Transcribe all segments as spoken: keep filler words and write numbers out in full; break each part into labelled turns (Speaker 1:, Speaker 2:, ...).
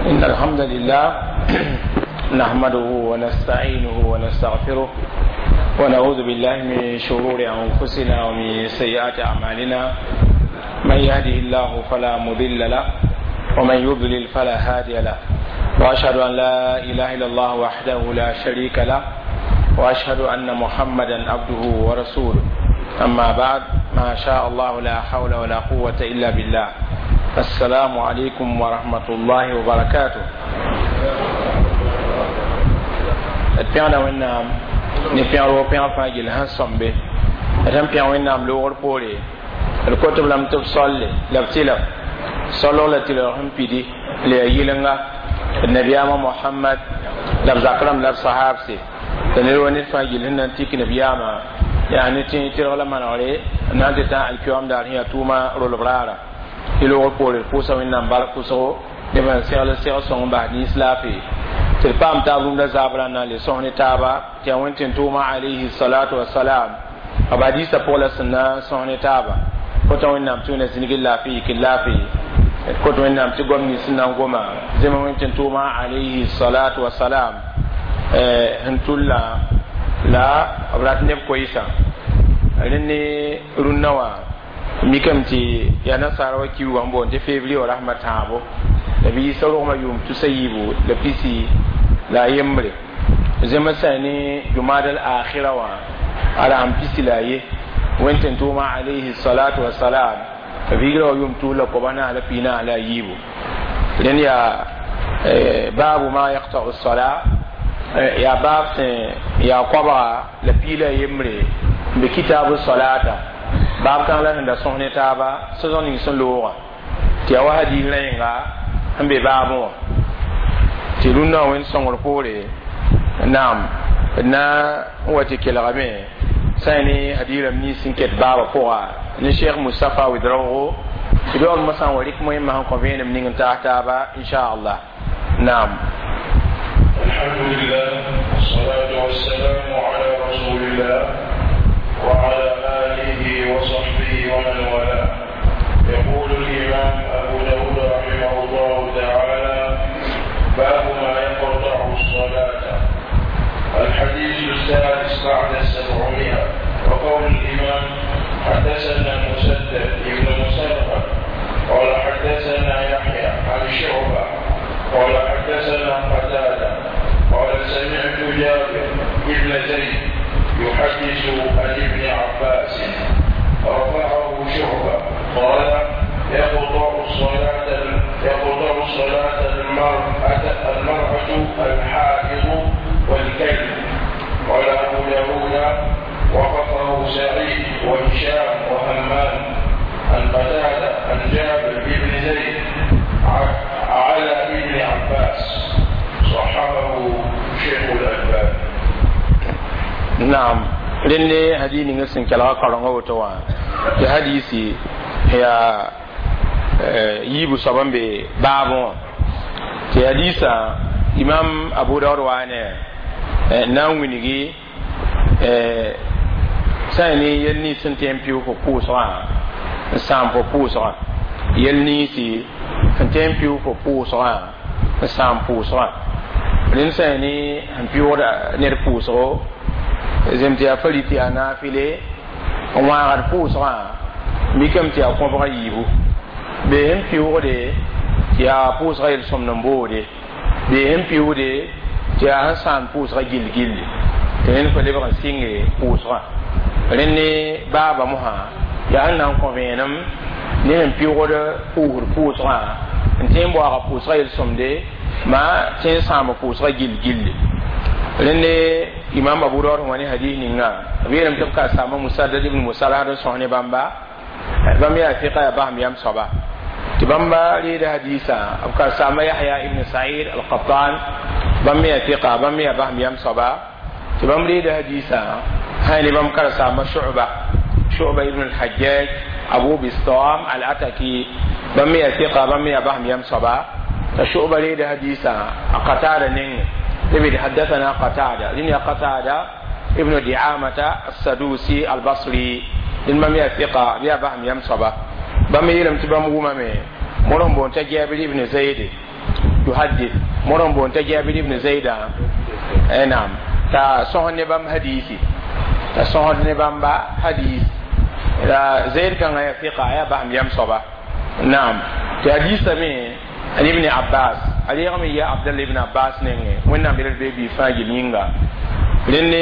Speaker 1: إن الحمد لله نحمده ونستعينه ونستغفره ونعوذ بالله من شرور أنفسنا ومن سيئات أعمالنا. من يهده الله فلا مضل له ومن يضلل فلا هادي له، وأشهد أن لا إله إلا الله وحده لا شريك له، وأشهد أن محمدا عبده ورسوله. أما بعد، ما شاء الله لا حول ولا قوة إلا بالله. السلام عليكم ورحمة الله وبركاته. d pẽgda Wẽnnaam ne pẽgr wo pẽgr fãa gill sẽn sõmbe. D sẽn pẽg Wẽnnaam loogr poore, d kot-b lame tɩ b solle la b tɩlg solg la tɩlg sẽn pidi la yaa yɩlenga d nabiyaamã Mohamad la b zak rãmb la b sahaabse la ned wa ned fãa gill sẽn na n tik nabiyaamã yaa ne tẽ tɩlg la manegre n na n tɩ tã alkiyoam daar sẽn yaa tʋʋma rolb raara. Tɩ loogr poore d pʋʋsa Wẽnnaam bark pʋsgo neb sẽn segl segl sõng n bas nins laafee tɩ d paam taab rũndã zaabrã n na n le sõs ne taaba tɩ yaa Wẽn tẽn-tʋʋmã alayhi salatu wasalam b hadiisã pʋg la sẽn na n sõs ne taaba. Kota Wẽnnaam tɩ Wẽnna zĩnigd laafɩ yik laafɩ, kot Wẽnnaam tɩ goam nins sẽn na n goma zẽm Wẽn tẽn-tʋʋmã alayhi salatu wasalam sẽn tulla la b rat neb koɩsã. Rẽnd ne rũnnã wã mikame tɩ yaa nasaara wa kiuugã n boond tɩ février wa rasmã tãabo la b yiisa rogmã yʋʋm tusa yiibu la pisi la a yembre. Zẽm sã ne jumad al akhira wã a rasem pisi la a ye Wẽn tẽn-tʋʋmã alayhi salatu wasalam vigrã wa yʋʋm tus la koabs naas la pii naas la a yiibu. Rẽnd yaa baabu ma yaqtau sala, yaa baab sẽn yaa koabga la pii la a yembre n be kitabu salata baab kãng la sẽn da sõs ne taaba sẽsg ning sẽn loogã tɩ yaa wa hadiis rẽenga sẽn be baabẽ wã tɩ rũnnã wã Wẽnd sõngr poore naam d na n wa tɩ kelgame sã ne hadiis rãmb nins sẽn ket baabã pʋga ne Cheikh Moustapha Ouedraogo tɩ doog mosã n wa rɩk moẽmã sẽn kõ vẽenem ning n taas taaba inchallah. Naam.
Speaker 2: الحمد لله والصلاة والسلام على رسول الله وعلى آله وصحبه ومن والاه. يقول الإمام أبو داود رحمه الله تعالى: باب ما يقطع الصلاة. الحديث السادس بعد السبعمائة. وقول الإمام: حدثنا مسدد ابن مسرهد قال حدثنا يحيى عن شعبة قال حدثنا قتادة قال سمعت جابر بن زيد يحدث عن ابن عباس رفعه شعبة قال: يقطع الصلاة يقطع الصلاة المرأة المرأة الحائض والكلب. قال أبو داود: وقفه سعيد وهشام وهمام عن قتادة عن جابر بن زيد على ابن عباس. صححه شيخ الألباني.
Speaker 1: Naam, rẽnd ne hadiis ninga sẽn kelga kaorengã woto wã tɩ hadiisi yaa yiibu soab n be baabẽ wã tɩ hadiisã imam Abu Daood waa ne n na n wilgi sã n ne yel nins sẽn tõe n pɩʋ fo pʋʋsgã n sãam fo pʋʋsgã, yel ninsi sẽn tõe n pɩʋ fo pʋʋsgã n sãam pʋʋsgã. Rẽnd sã ne sẽn pɩʋgda ned pʋʋsgo zem tɩ yaa fari tɩ yaa naafɩle n wãagd pʋʋsgã mikame tɩ yaa kõbga yiibu bee sẽn pɩʋgde tɩ yaa pʋʋsga yel-sõmd n boode bee sẽn pɩʋgde tɩ yaa sẽn sãam pʋʋsga gill gilli tɩ rẽnd fa lebg n sɩnge pʋʋsgã. Rẽnd ne baaba mosã yaa sẽn na n kõ vẽenem ne sẽn pɩʋgd pʋʋsd pʋʋsgã n tõe n boaaga pʋʋsga yel-sõmde ma tõe n sãam pʋʋsga gill gilli. Rẽnd ne imam Abu Daud wã ne hadis ninga b yeelame tɩ b ka saama Musaddad ibn Musarhad n sõs ne bãmba, bãmb yaa fiqa yaa basem yam soaba tɩ bãmba reeda hadiisã. B ka saama Yahya ibn Sa'id al-Qattan, bãmb me yaa fiqa, bãmb me yaa basem yam soaba tɩ bãmb reeda hadiisã sã ne bãmb karen-saamba Shu'ba, Shu'ba ibn al-Hajjaj Abu Bistam al-Ataki, bãmb me yaa fiqa, bãmb me yaa basem yam soaba t'a Shu'ba reeda hadiisã a Qatada nengẽ. تبي حدثنا قتادة لأن قتادة ابن دعامة السدوسي البصري لأن ما ميا ثقة بيا بهم يم صبا بام يلم تبام وما مي مرهم بون تجابر ابن زيد. yuhaddith moron bon ta Jabir ibn Zaida eh naam ta sõs ne bãmb hadisi ta sõsd ne bãmba hadis la Zaid kãngã yaa fiqa yaa basem yam soaba naam tɩ hadisa me an ibn Abbas a reegame yaa Abdallah ibn Abbas nengẽ wẽnnaam yel d bee bi fãa gill yĩnga rẽnd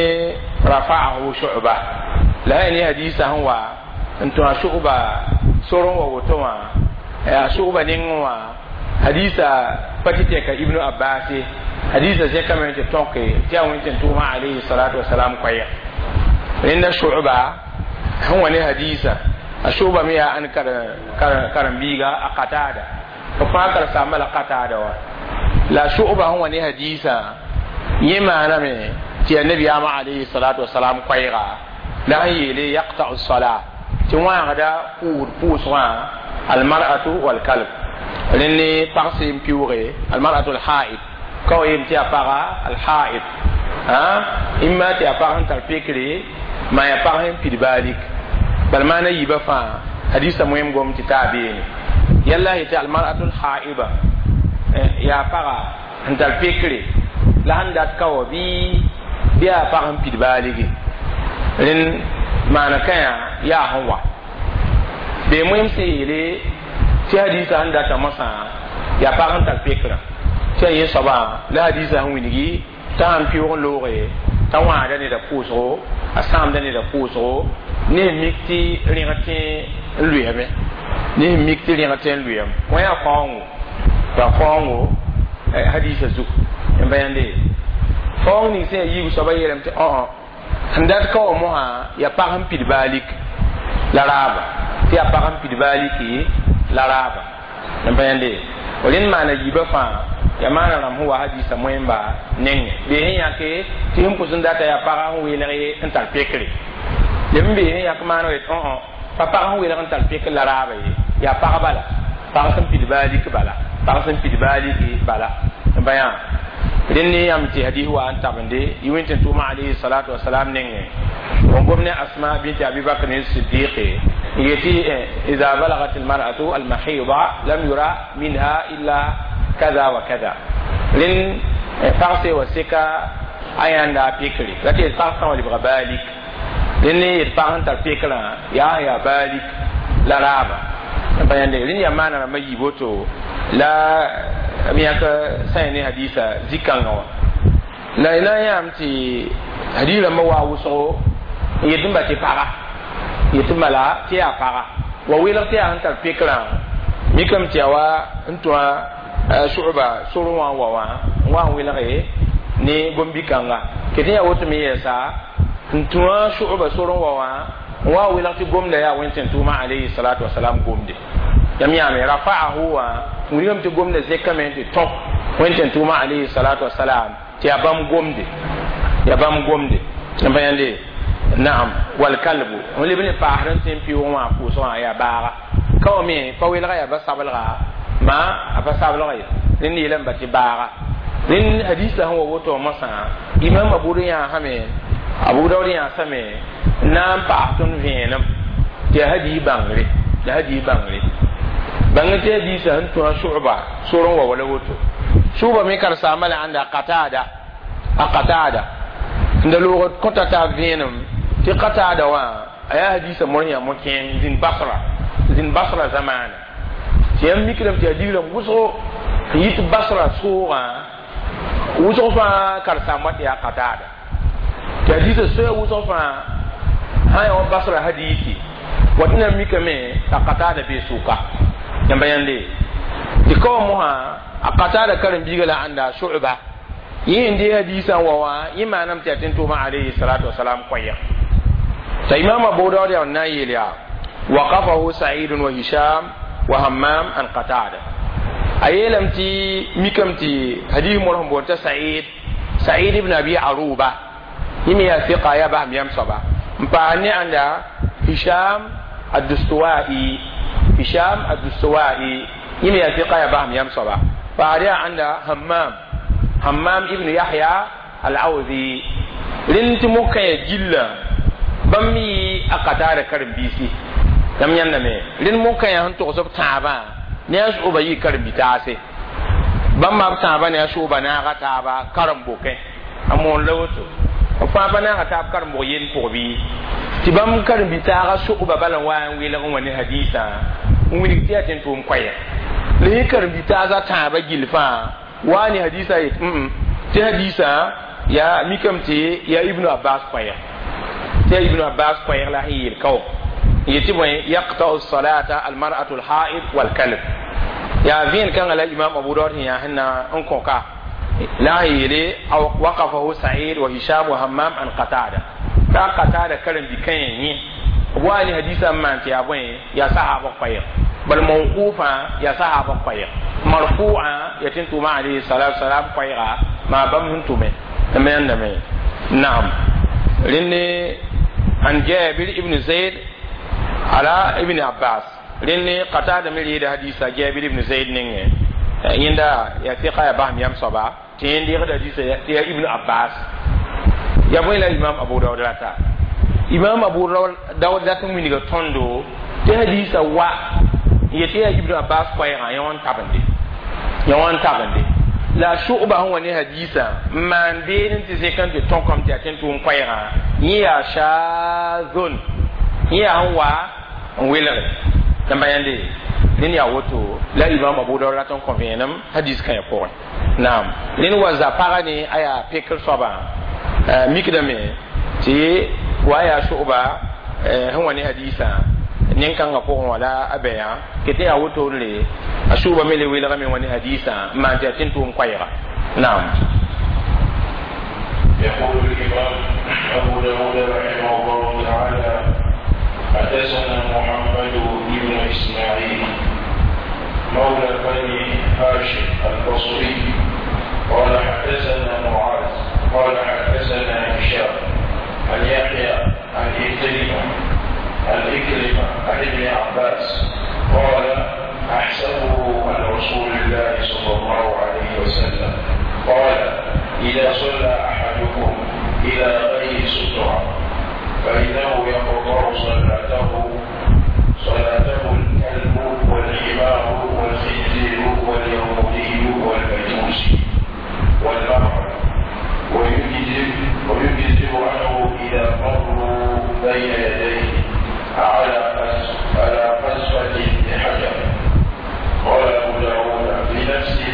Speaker 1: rafa'ahu Shu'ba la ya ne hadisa sẽn wa n tũ a Shu'ba sor n wa woto wã a Shu'ba nengẽ wã hadisa pa tɩ tɛka Ibnu Abbas ye hadisa zẽkame tɩ tõke tɩ yaa wẽn-tẽn-tʋʋmã alayhi salatu wasalam koɛɛg rẽnda Shu'ba sẽn wa ne hadisa a Shu'ba me yaa ãn karen-biiga a Qatada b fãa karen-saambã la Qatada wa la Shu'ba sẽn wa ne hadisa yẽ maaname tɩ yaa nabiyaamã alayhi salatu wasalam koɛɛga la sẽn yeele yaqta'u sala tɩ wãagda pʋʋd pʋʋsgã almar'atu walkalb rẽnd ne pag sẽn piʋʋge almar'atu alhaid ka wa yem tɩ yaa paga alhaid imma tɩ yaa pag sẽn tar pekre ma yaa pag sẽn pid baalik bal maana yiibã fãa hadisa moem gom tɩ taa beene yalla yetɩ almar'atu alhaida yaa paga sẽn tar pekre la sẽn dat ka wa bɩ bɩ yaa pag sẽn pid baaligi rẽnd maana kãyã yaa sẽn wa bee moem sẽn yeele tɩ hadisa sẽn data mosã yaa pag sẽn tar pekrã tɩ yaa yẽ soabã la hadisa sẽn wilgi t'a sãn pɩʋg n looge t'a wãagda neda pʋʋsgo a sãamda neda pʋʋsgo ne sẽn mik tɩ rẽg tẽ n lʋɩame ne sẽn mik tɩ rẽg tẽ n lʋɩame wã yaa faoongo yaa faoongo hadisa zug n ba yãnde faoong ning sẽn yaa yiib soaba yeelame tɩ õ sẽn dat ka wa mosã yaa pag sẽn pid baalik la raaba tɩ yaa pag sẽn pid baaliki la raaba n pa yãnde rẽnd maana yiibã fãa yaa maana rãmb sẽn wa hadisa moẽmba nengẽ bee sẽn yãke tɩ sẽn pʋs n data yaa paga sẽn weelg n tar pekre lem n bee sẽn yãk maana yet õ pa pag sẽn weelg n tar pekr la raaba ye yaa pag bala pag sẽn pid baalik bala pag sẽn pid baaliki bala n pa yã rẽnd ne yãmb tɩ hadis wa n tabende yɩ wẽn-tẽn-tʋʋmã alayhi salatu wasalam nengẽ n gom ne Asma bint Abi Bakr Siddiq yeti إذا بلغت المرأة المحيض لم يرى منها إلا كذا وكذا rẽnd pag se wa seka a yãnda pekre la tɩ pag sã wa lebga baalik rẽnd ne yet pag sẽn tar pekrã yaa yaa baalik la raaba n pa yãnde rẽnd yaa maana rãmbã yiib woto la m yãk sã ne hadisa zĩ-kãngã wã la y na n yãam tɩ hadis rãmbã waa wʋsgo n yet n ba tɩ paga yetɩ mala tɩ yaa paga wa weelg tɩ yaa sẽn tar pekrã mikame tɩ yaa wa n tõa Shu'ba sor wã n wa wã n wa n welge ne gom-bi-kãnga ket n yaa woto me yɛɛsa n tũa Shu'ba sor n wa wã n wa n welg tɩ gomda yaa wẽn-tẽn-tʋʋmã alayhi salatu wasalam gomde yam yãame rafa'ahu wã n wilgame tɩ gomda zekame tɩ tõk wẽn-tẽn-tʋʋmã alayhi salatu wasalam tɩ yaa bãmb gomde yaa bãmb gomde n pa yãnde naam wal kalbu n leb ne paasd n tẽ n pɩʋʋg wã pʋʋsg wã yaa baaga ka wa me pa welga yaa ba sablga ma a pa sablga ye rẽnd yeelame ba tɩ baaga rẽnd hadisa sẽn wa woto mosã imam Abu yãasame Abu Daud yãasame n na n paas tõnd vẽenem tɩ yaa hadis bãngre la hadis bãngre bãng tɩ hadisa sẽn tũ a Shu'ba sor n wa wala woto Shu'ba me karen-saambã la ãnda Qatada a Qatada n da loog kõta taab vẽenem tɩ Qatada wã a yaa hadisa mor yã mo-kẽeng zĩnd Basra zĩnd Basra zamaana tɩ yãmb mikdame tɩ yaa digrãmb wʋsgo n yit Basra soogã wʋsg fãa karen-saambã tɩ yaa Qatada tɩ hadisa soa wʋsg fãa sã yaa wa Basra hadisi wa tɩ na mikame t'a Qatada bee sʋka yãmba yãnde tɩ ka wa mosã a Qatada karen-biiga la ãnda Shu'ba yẽ n dee hadisã n wa wã yẽ maaname tɩ yaa tẽn-tʋʋmã alayhi salatu wasalam koɛɛg t'a imam Abu Daud yaa n na n yeel yaa waqafahu Sa'id wa Hisham wa Hammam an Qatada a yeelame tɩ mikame tɩ hadis mor sẽn boond t'a Sa'id Sa'id ibn Abi Aruba yẽ me yaa fiqa yaa basem yam soaba n paas ne ãnda Hisham Addustuwai Hisham Addustuwai yẽ me yaa fiqa yaa basem yam soaba paas yaa ãnda Hammam Hammam ibn Yahya Al-Awzi rẽnd tɩ mokã ya gilla bãmb yɩ a Qatada karen-biisi yãmb yãndame rẽnd mokã yaa sẽn togs b tãabã ne a Shu'ba yɩ karen-bi-taase Bãmba b tãabã ne a sʋʋba naaga taaba karen-bokẽ a moon la woto b fãa pa naaga taab karen-bog yend pʋg bɩ tɩ bãmb karen-bi-taaga sʋgba bala n wa n welg n wa ne hadiisã n wilg tɩ yaa tẽn tʋʋm koɛɛg la yẽ karen-bi-taasã tãabã gill fãa wa ne hadiisã yet tɩ hadiisã yaa mikame tɩ yaa Ibnu Abbas koɛɛg tɩ yaa Ibnu Abbas koɛɛg la sẽn yeel kao yetɩ bõe yaqta'u salata almar'atu alha'id walkalb yaa vẽen kãngã la Imam Abu Daud sẽn yaa sẽn na n kõ-ka la sẽn yeele waqafahu Sa'id wa Hisham wa Hammam an Qatada t'a Qatada karen-bi-kãyã yẽ b wa ne hadiisã n maan tɩ yaa bõe yaa sahaba koɛɛg bal mawqufã yaa sahaba koɛɛg marfu'a yaa tɩ n tʋʋma alayhi salatu salam koɛɛga maa bãmb sẽn tʋme n me yãndame. Naam, rẽnde an Jabir ibn Zaid ala Ibn Abbas rẽnde Qatada me reeda hadisa Jabir ibn Zaid nengẽ yẽnda yaa tɩka yaa basem yam soaba tɩ yẽnd deegda hadisa tɩ yaa Ibn Abbas ya bõe la Imam Abu Daud rata Imam Abu Daud dat n wilga tõndo tɩ hadisa wa yetɩ yaa Ibn Abbas koɛɛgã yẽ wã n tabende yẽ wã n tabende la sʋgba sẽn wa ne hadisa n maan beene tɩ zẽk n tɩ tõkame tɩ yaa tẽn tʋʋm koɛɛgã yẽ yaa shazon yẽ yaa sẽn wa n welge tɩ ba yãnde rẽnd yaa woto la Imam Abu Daud rat n kõ vẽenem hadis kãyã pʋgẽ. Naam, rẽnd wa za-pagã ne a yaa pekr soabã mikdame tɩ wa yaa sʋgba sẽn wa ne hadisã nin-kãngã pʋgẽ wã la a bɛyã ket yaa wotore a sʋʋba me le welgame wã ne hadisã n maan tɩ yaa tẽn tʋʋm koɛɛga. Naam.
Speaker 2: يقول الإمام أبو داود رحمه الله تعالى: حدثنا محمد بن إسماعيل مولى بني هاشم البصري قال حدثنا معاذ قال حدثنا هشام عن يحيى عن إكرمة عن إكرمة عن ابن عباس قال: أحسبه عن رسول الله صلى الله عليه وسلم قال: إذا صلى أحدكم إلى غير سترة فإنه يقطع صلاته صلاته الكلب والحمار والخنزير واليهودي والمجوسي والمرأة ويجزئ ويجزئ عنه إذا مروا بين يديه على على قذفة بحجر. قال أبو داود: في نفسي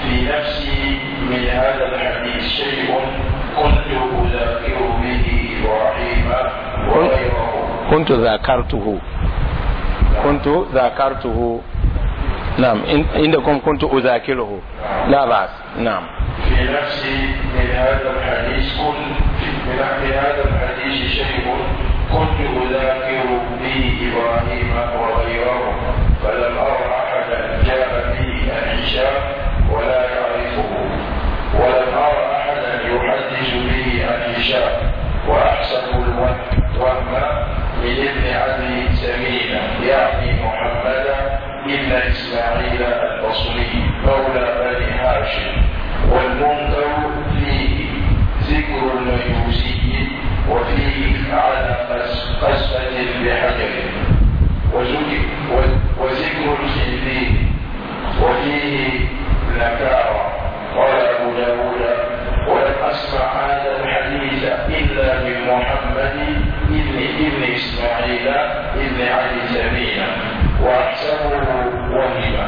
Speaker 2: في نفسي من هذا الحديث شيء كنت أذاكر به إبراهيم وغيره.
Speaker 1: كنت ذاكرته كنت ذاكرته نعم، عندكم كنت أذاكره، لا بأس. نعم.
Speaker 2: في نفسي من هذا الحديث كنت من هذا الحديث شيء كنت أذاكر به إبراهيم وغيره، فلم أر أحدا جاء به عن هشام ولا يعرفه، ولم أر أحدا يحدث به عن هشام، وأحسب الوهم من ابن أبي سمينة يعني محمد ابن إسماعيل البصري مولى بني هاشم، والمنكر فيه ذكر المجوسي وفيه على قذفة بحجر وذكر الخنزير وفيه نكارة. قال أبو داود: ولم أسمع هذا الحديث إلا من محمد ابن ابن إسماعيل ابن علي سمينة، وأحسبه وهما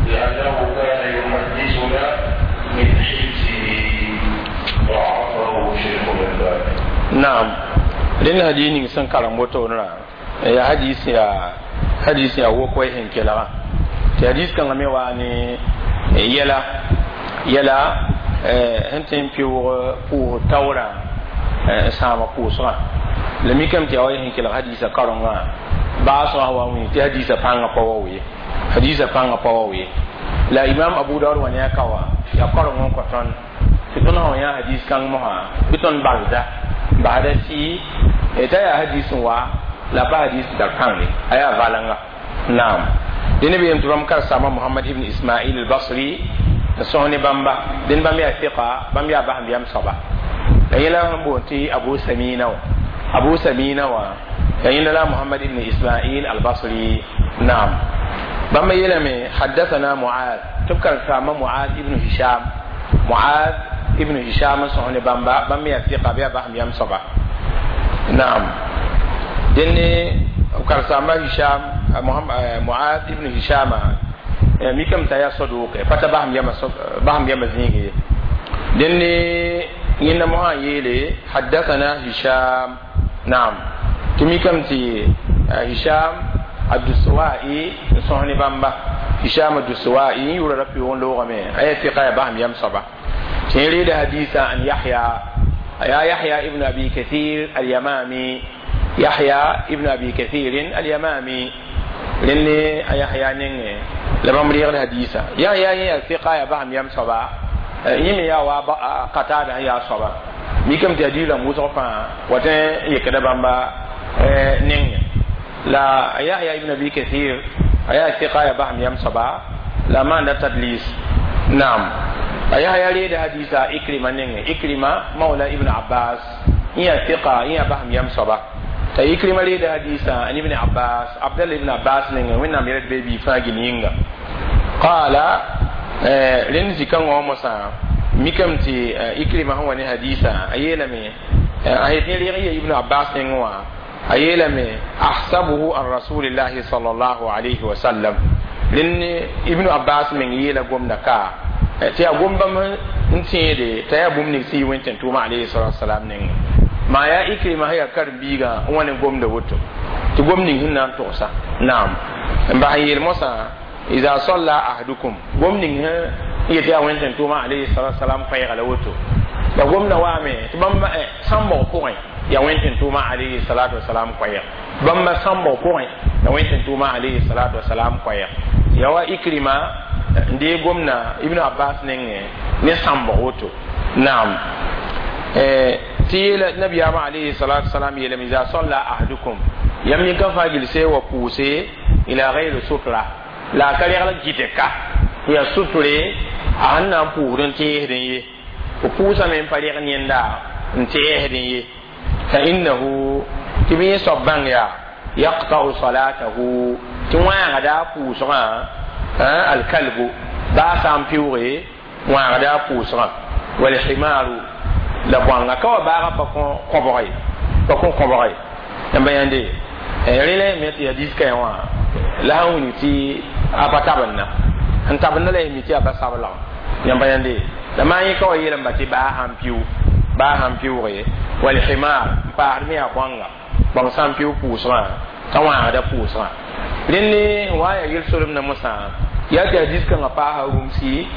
Speaker 2: لأنه كان يحدثنا من حفظه. ضعفه شيخ الألباني.
Speaker 1: Naam, rẽnd hadis ning sẽn karem wotone rã yaa hadis yaa hadis yaa wok wa sẽn kelgã tɩ hadis kãngã me waa ne yɛla yɛla sẽn tõe n pɩʋʋg pʋʋs taoorã n sãama pʋʋsgã la mikame tɩ yaa wa sẽn kelg hadiisã karengã baasgã wa wĩ tɩ hadiisã pãngã pa wa ye hadiisã pãngã pa wa ye la Imam Abu Daud wa ne a ka wã yaa kareng n kõ tõnd tɩ tõnd sã wa yã hadis kãng mosã bɩ tõnd balda basda tɩ t'a yaa hadis n wa la pa hadis tar pãngre a yaa valenga. Naam, dẽnd b yem tɩ bãmb karen-saamba Mohamad ibn Ismail al-Basri n sõs ne bãmba dẽnd bãmb yaa fiqa bãmb yaa basem yam soaba la yẽla sẽn boond tɩ Abu Samina wã Abu Samina wã la yẽnda la Mohamad ibn Ismail al-Basri. Naam, bãmb yeelame haddathana Muad tɩ Tɩ b karen-saambã Muad ibn Hisham, Muad ibn Hisham n sõs ne bãmba. Bãmb me yaa sɩka, bɩ yaa basem yam soaba. Naam, dẽnne b karen-saambã Hisham, Muad ibn Hishama mikame t'a yaa saduuke, pa t'a basem yama, basem yama zĩig ye. Dẽnne yẽnda mosã n yeele haddathana Hisham. Naam, tɩ mikame tɩ Hisham Abdusawai n sõs ne bãmba. Hisham Abdusawai n yʋʋra ra pɩʋʋg n loogame, a yaa sɩka, yaa basem yam soaba. Tɩ yẽ reeda hadisa an Yahya, yaa Yahya ibn Abi Kathir Alyamami, Yahya ibn Abi Kathir Alyamami. Rẽnne a Yahya nengẽ la bãmb reegd hadisa. Yahya yẽ yaa sɩka, yaa basem yam soaba. Yẽ me yaa wa Qatada sẽn yaa soaba. Mikame tɩ hadis rãmb wʋsg fãa wa tõe n yekda bãmba nengẽ. La Yahya ibn Abi Kathir a yaa sɩka, yaa basem yam soaba, la a maanda tadlis. Naam, a Yahya reeda hadisa Ikrima nengẽ, Ikrima mawla Ibn Abbas, yẽ yaa sɩka, yẽ yaa basem yam soaba. T'a Ikrima reeda hadisa an Ibn Abbas, Abdallah ibn Abbas nengẽ, Wẽnnaam yɛl d bee bii fãa gil yĩnga. Qaala, rẽnd zĩ-kãngã wã mosã mikame tɩ Ikrima sẽn wa ne hadisa, a yeelame a yet yẽ reeg ya Ibn Abbas nengẽ wã, a yeelame ahsabuhu an rasulillahi sallallahu alayhi wa sallam. Rẽnd Ibn Abbas meng yeela gomda ka tɩ yaa gom bãmb n tẽede t'a yaa bũmb ning sẽn yi wẽn tʋʋma alayhi salatu wasalam nengẽ. Maa yaa Ikrima sẽn yaa karen-biigã n wa ne gomda woto tɩ gom ning sẽn na n togsa. Naam, n bas n yeel mosã iza salla ahadukum, gom ning sẽn yet yaa wẽn tʋʋma alayhi salatu wasalam koɛɛga la woto. La gomda waame tɩ bãmb sãmbg pʋgẽ yaa wẽn tʋʋma alayhi salatu wasalam koɛɛg, bãmba sãmbg pʋgẽ la wẽn tʋʋma alayhi salatu wasalam koɛɛg. Yaa wa Ikrima n dee gomna Ibn Abbas nengẽ ne sãmbg woto. Naam, tɩ yeela nabiyaamã alayhi salatu wasalam yeelame iza salla ahadukum, yãmb yẽ ka fãa gilse wa pʋʋse ila gayri sutra, la a ka regl gɩte ka yaa sutre a sẽn na n pʋʋsd n tẽesdẽ ye, fo pʋʋsame n pa reg yẽnda n tẽesdẽ ye, fa innahu, tɩ bɩ yẽ soab bãng yaa yaqta'u salatahu, tɩ wãagda a pʋʋsgã alkalbu, baa sã n pɩʋʋge wãagda a pʋʋsgã, walhimaru, la bõanga ka wa baaga pa kõ kõbg ye, pa kõ kõbg ye. Yãmba yãnde rẽ la me tɩ hadis kaẽ wã la sẽn wilg tɩ a pa tabendã sẽn tabendã la y mi tɩ a pa sablg. Yãmba yãnde la maa yẽ ka wa yeelame tɩ baa sãn pɩʋ, baa sãn pɩʋʋge, walhimar, n paasd me yaa bõanga, bãng sã n pɩʋ pʋʋsgã t'a wãagda pʋʋsgã. Rẽnd wa yaa yel-solem na mosã yaa tɩ hadis kãngã paasa rũmsi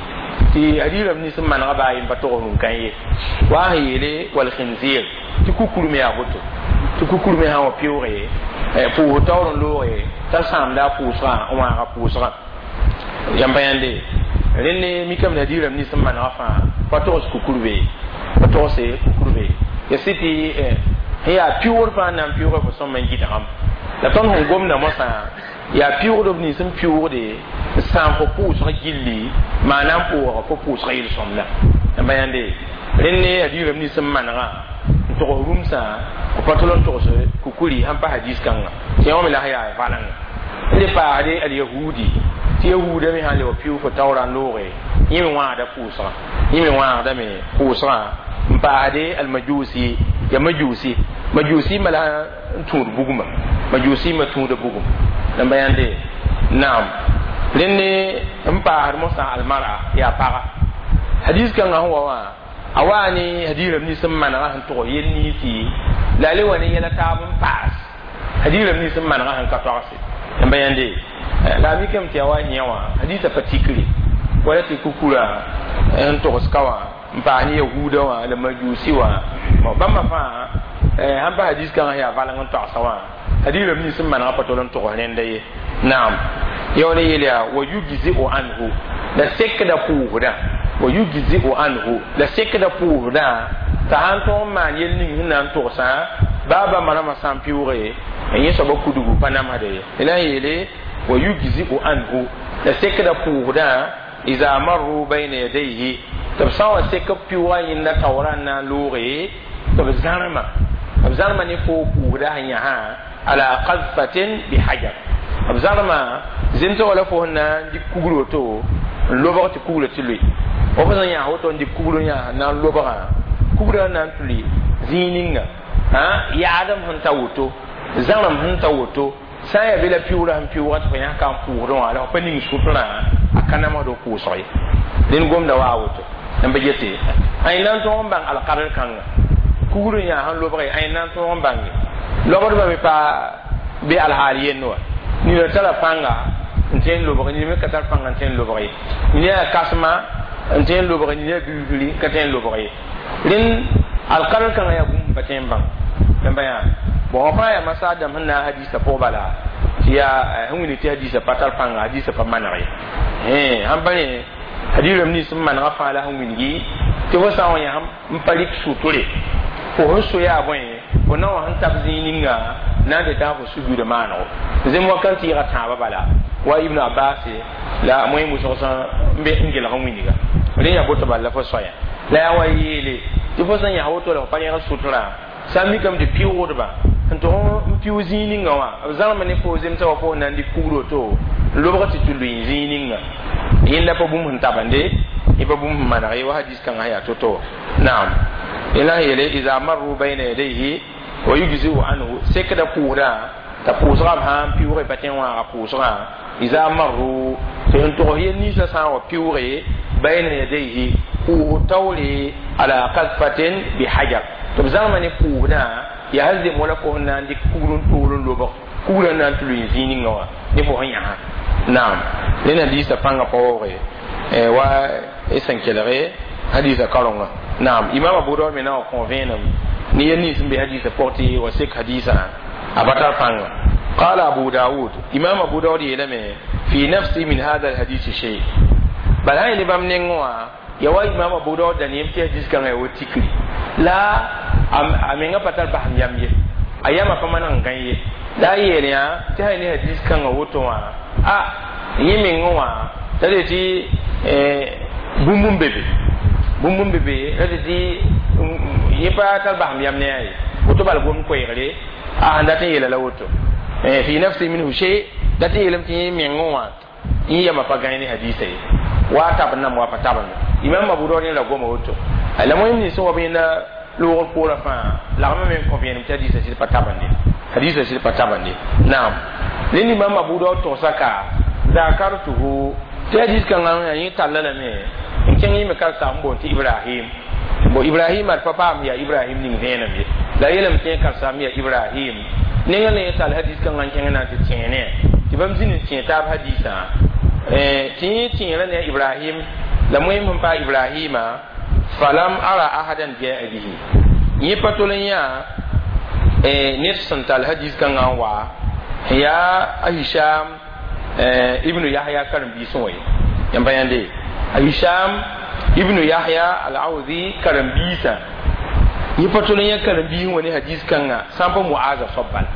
Speaker 1: tɩ hadis rãmb nins n manega baa yen pa tog rũm-kãn ye. Wa sẽn yeele walkhinzir, tɩ kukur me yaa woto, tɩ kukur me sã n wa pɩʋʋge pʋʋs taoor n looge t'a sãamda a pʋʋsgã n wãaga pʋʋsgã. Yãmba yãnde rẽnd mikame hadis rãmb nins n manega fãa pa togs kukur be, pa togse kukur be ya sɩ tɩ sẽn yaa pɩʋʋgd fãa n na n pɩʋʋga fo sõm n gɩdgame. La tõnd sẽn gomda mosã yaa pɩʋʋgd b nins n pɩʋʋgde n sãam fo pʋʋsg gilli maa na n pʋʋga fo pʋʋsg yel-sõmda. Yãmba yãnde rẽnd hadis rãmb nins n manegã n togs rũmsã b pa tol n togs kukuri sãn pa hadis kãnga tɩ yã wã me la sẽn yaa valengã. N le paasde alyahudi, tɩ yahuudã me sãn le wa pɩʋʋg fo taoora n looge, yẽ me wãagda pʋʋsgã, yẽ me wãagdame pʋʋsgã. N paasde almajusi, ya majusi, majusi ma la n tũud bugmã, majusi ma tũuda bugum. Yãmba yãnde, naam, rẽnd n paasd mosã almara, yaa paga. Hadis kãngã sẽn wa wã a waa ne hadis rãmb nins n manegã sẽn tog yel ninsi la a le wa ne yɛla taab n paas hadis rãmb nins n manegã sẽn ka togse. Yãmba yãnde, la a mikame tɩ yaa wa yẽ wã hadisã pa tikre wala tɩ kukura n togs ka wã n paas ne yahuudã wã la majusi wã. Bãmba fãa sãn pa hadis kãngã yaa valeng n toagsa wã hadis rãmb nins n manegã pa tol n togs rẽnda ye. Naam, yaool n yeel yaa wa yujziu anhu, la sekda pʋʋsdã, wa yujziu anhu, la sekda pʋʋsdã t'a sãn tõog n maan yel ning sẽn na n togsã baa bãmba rãmbã sã n pɩʋʋge n yẽ soaba kudgu pa namsda ye. La n yeele wa yujziu anhu, la sekda pʋʋsdã iza marru bayna yadayhi, tɩ b sã n wa sek b pɩʋʋgã yẽnda taoorã n na n looge tɩ b zãrma, b zãrma ne foo pʋʋsda sẽn yãsã ala qadfatin bihajar, b zãrma zẽmsg la fo sẽn na n dɩk kugr woto. n lobg tɩ kugrã tɩ loe wa fo sẽn yãas woto n dɩk kugr n yãas na n lobgã kugrã na n tuli zĩig ninga yaadem sẽn ta woto zãrem sẽn ta woto sã n yaa be la piʋʋrã sẽn piʋʋga tɩ fo yãs ka n pʋʋsdẽ wã la fo pa ning sʋtrã a ka namsd f pʋʋsg ye dẽnd gomda wa a woto n pa gete ãy na n tõog n bãng alkadr kãnga kugr n yaa sẽn lobge ãy na n tõog n bãnge lobdbã me pa be alhaal yend wa nina tara pãnga n tõe n lobg nina me ka tar pãnga n tõe n lobg ye nina yaa kasma n tõe n lobg nina yaa bilbili ka tõe n lobg ye rẽnd alkadr kãngã yaa bũmb pa tõe n bãng n ba yaa bon fãa yaa masaad dãmb sẽn na n hadisa pʋg bala tɩ yaa sẽn wilg tɩ hadisa pa tar pãnga hadisa pa maneg ye sãn pa rẽ hadis rãmb nins n manegã fãa la sẽn wilgi tɩ fo sã n wa yã n pa rɩk sʋtʋre fo sẽn so yaa bõe fo na wã sẽn tab zĩig ninga na n tɩ tã fo sujuudã maanego zem wakat n tɩɩga tãabã bala wa ibnu abbas la moẽ wʋsg sã n be n gelg n wilga rẽ yaa boto bala la fo soaya la yaa wa yeele tɩ fo sẽn yãs woto la fo pa rẽg sʋtrã sã n mikame tɩ pɩʋʋdba n tʋg n pɩʋ zĩig ninga wã b zãrme ne fo zemsã wa fo na n dɩk kugr woto n lobg tɩ tɩ lʋɩ zĩig ninga yẽnda pa bũmb sẽn tabende yẽ pa bũmb sẽn maneg ye wa hadis kãngã yaa to-to naam yẽla sẽn yeele iza marru bayna yadayhi wa yujziu anhu sekda pʋʋsdã t'a pʋʋsgã b sã n pɩʋʋge pa tõe n wãaga pʋʋsgã iza marru tɩ sẽn togs yel ninsã sã n wa pɩʋʋge bayna yadayhi pʋʋs taoore ala kadfatin bihajar tɩ b zãgma ne pʋʋsdã yaa sẽn zem wala fo sẽn na n dɩk kugr n toor n lobg kugrã na n tɩ lʋɩ zĩig ninga wã ne fo sẽn yãsa naam rẽnd hadisa pãngã pa waoogre wa y sẽn kelge hadisa karonga naam imam abu daud me na wa kõ vẽenem ne yel nins n be hadisa pʋg tɩ wa sek hadisã a pa tar pãnga قال أبو داود إمام أبو داود يلمي في نفسي من هذا الحديث شيء بل هاي نبام نينوا يا إمام أبو داود دنيم تي حديث كان يو تيكري لا أم أمينغا باتال بهم يام يه أيام فما نان ye la yeel yã tɩ sã ne hadis kãngã woto wã a yẽ meng wã t'a de tɩ bũmb n be be bũmb n be be ra tɩ tɩ yẽ pa tar basem yam ne a ye woto bal gom koeegre a sẽn dat n yeela la woto fi nafsi minhu shay dat n yeelame tɩ yẽ meng wã yẽ yama pa gãe ne hadisa ye wa tab nam wa pa tabend imam abu daud la goma woto la moyim nins n wa b yẽnda loogr poorã fãa lagmã me n kõ vẽenem tɩ hadisa sɩd pa tabende hadisa sɩd pa tabende naam rẽnd imam abu daud togsa ka zakartuhu tɩ hadis kãngã yẽ talla lame n kẽng yẽ me karsaam n boond tɩ ibrahim bo ibrahim ad pa paam yaa ibrahim ning vẽenem ye la yeelame tɩ yẽ karsaam yaa ibrahim nengã la yẽ tall hadis kãngã n kẽng na n tɩ tẽene tɩ bãmb zĩnd n tẽ taab hadisã tɩ yẽ tẽerã ne a ibrahim la moẽm sẽn paa ibrahima falam ara ahadan jaa bihi yẽ pa tol n yã ned sẽn tall hadis kãngã n wa yaa a hisham ibnu yahya karen-biisẽ wã ye yãmb pa yãnde a hisham ibnu yahya al-awzi karen-biisã yẽ pa tol n yã karen-biis wã ne hadis kãngã sã n pa muaza soab bala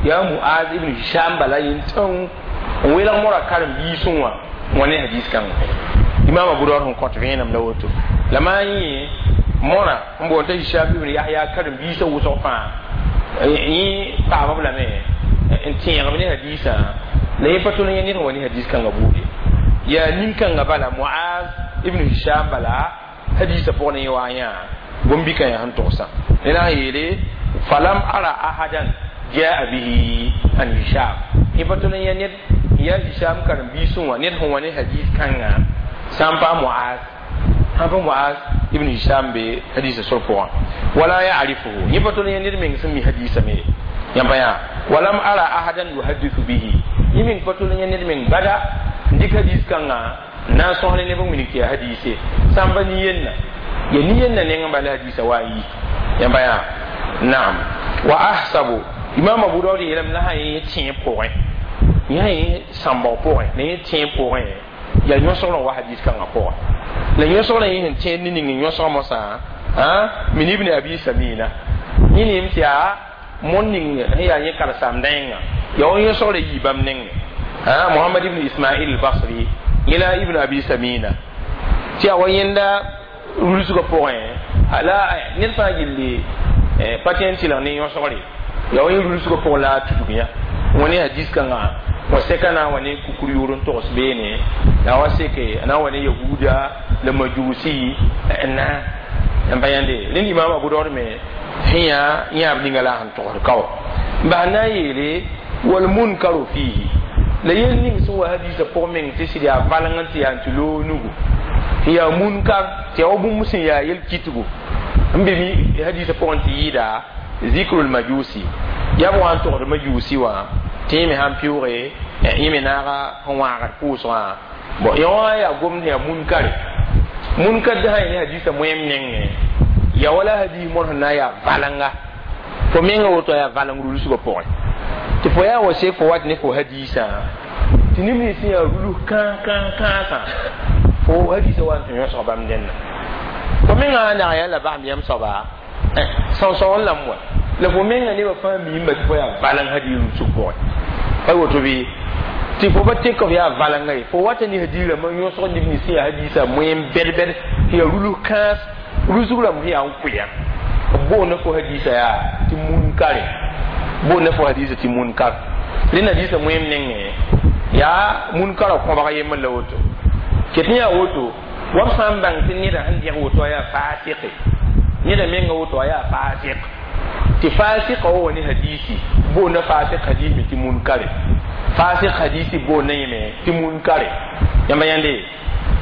Speaker 1: yaa muaz ibnu hisham bala yẽn tãng n welg mora karen-biisẽ wã wã ne hadis kãngã imam abu daud sẽn kõt vẽenem la woto la maa yẽ mõra n boond t'a hisham ibn yahya karen-biisã wʋsg fãa yẽ paama b lame n tẽegb ne hadisã la yẽ pa tol n yã ned n wa ne hadis kãngã buud ye yaa nin-kãngã bala muaz ibn hisham bala hadisã pʋg ne yẽ wa yã gom-bikã yaa sẽn togsã rẽna n yeele falam ara ahadan jaa bihi an hisham yẽ pa tol n yã ned yaa hisham karen-biisẽ wã ned sẽn wa ne hadis kãngã sã n pa muaz sãn pa muaz ibn hisham be hadisa sor pʋgã wala yarifuhu yẽ pa tol n yã ned meng sẽn mi hadisa me yãmba yã walam ara ahadan yuhadithu bihi yẽ meng pa tol n yã ned meng bada n dɩk hadis kãngã n na n sõs ne neb n wilg tɩ yaa hadise sãn pa nin-yenna ya nin-yenna nengẽ bala hadisa wa n yi yãmba yã naam wa ahsabu imam abu daud yeelame la sã yẽ tẽeb pʋgẽ yã yẽ sãmbg pʋgẽ la yẽ tẽeb pʋgẽ yaa yõsgrã wa hadis kãngã pʋgẽ la yõsgrã yẽ sẽn tẽed ne ning n yõsg mosã min ibn abi samina yẽ neem tɩ yaa mõnd ning sẽn yaa yẽ karsaam dãengã yaa wa yõsgrã yii bãmb nengẽ muhammad ibn ismail al-basri yẽ la ibn abi samina tɩ yaa wa yẽnda rulsgã pʋgẽ la ned fãa gilli pa tõe n tɩlg ne yõsgre yaa wa yẽ rulsgã pʋgẽ la a tudg yã wã ne hadis kãngã Wa seka na wa ne kukur yʋʋr n togs beene la wa seke na wa ne yahuda la majusi na n pa yãnde rẽnd. Imam Abu Daoud me sẽn yaa yãab ninga la sẽn togsd kao n bas na n yeele wal munkaru fihi la yel ning sẽn wa hadisa pʋg meng tɩ sɩd yaa valeng n tɩ yaa n tɩ loog nugu tɩ yaa munkar tɩ yaa wa bũmb sẽn yaa yel kitgo n be mi hadisa pʋgẽ tɩ yɩɩda zikrul majusi yaa b wa n togsd majusi wã tɩ yẽ me sãn pɩʋʋge yẽ me naaga sẽn wãagd pʋʋsgã. Bon, yõ wã yaa gomd yaa munkare munkar sã ne hadisa moẽm nengẽ ya wala hadis mõr sẽn na n yaa valenga fo menga woto yaa valeng rulsgã pʋgẽ tɩ fo yaa wa sek fo wat ne fo hadisã tɩ neb nins sẽn yaa rulus kãa kãa kãasã fo hadisã wa n tɩ yõsg bãmb dẽnna fo menga nag yaa la basem yãmb soaba sõsõ n lame wa la fo menga nebã fãa miimba tɩ fo yaa valeng hadis rulsg pʋgẽ pa woto bɩ tɩ fo pa tek f yaa valenga ye fo wata ne hadis rãmbã yõsg neb nins sẽn yaa hadisã moẽm bɛd-bɛd tɩ yaa rulus kãas rulsg rãmb sẽn yaa n kʋya b boonda fo hadisa yaa tɩ munkare boonda fo hadisa tɩ munkar rẽnd hadisa moẽm nengẽ yaa munkara kõbg yembr la woto ket n yaa woto wa b sã n bãng tɩ neda sẽn dẽg woto a yaa fasɩke neda menga woto a yaa fasɩk tɩ fasɩka wa wa ne hadisi boonda fasɩk hadis me tɩ munkare fasɩk hadisi boonda yẽme tɩ munkare yãmba yãnde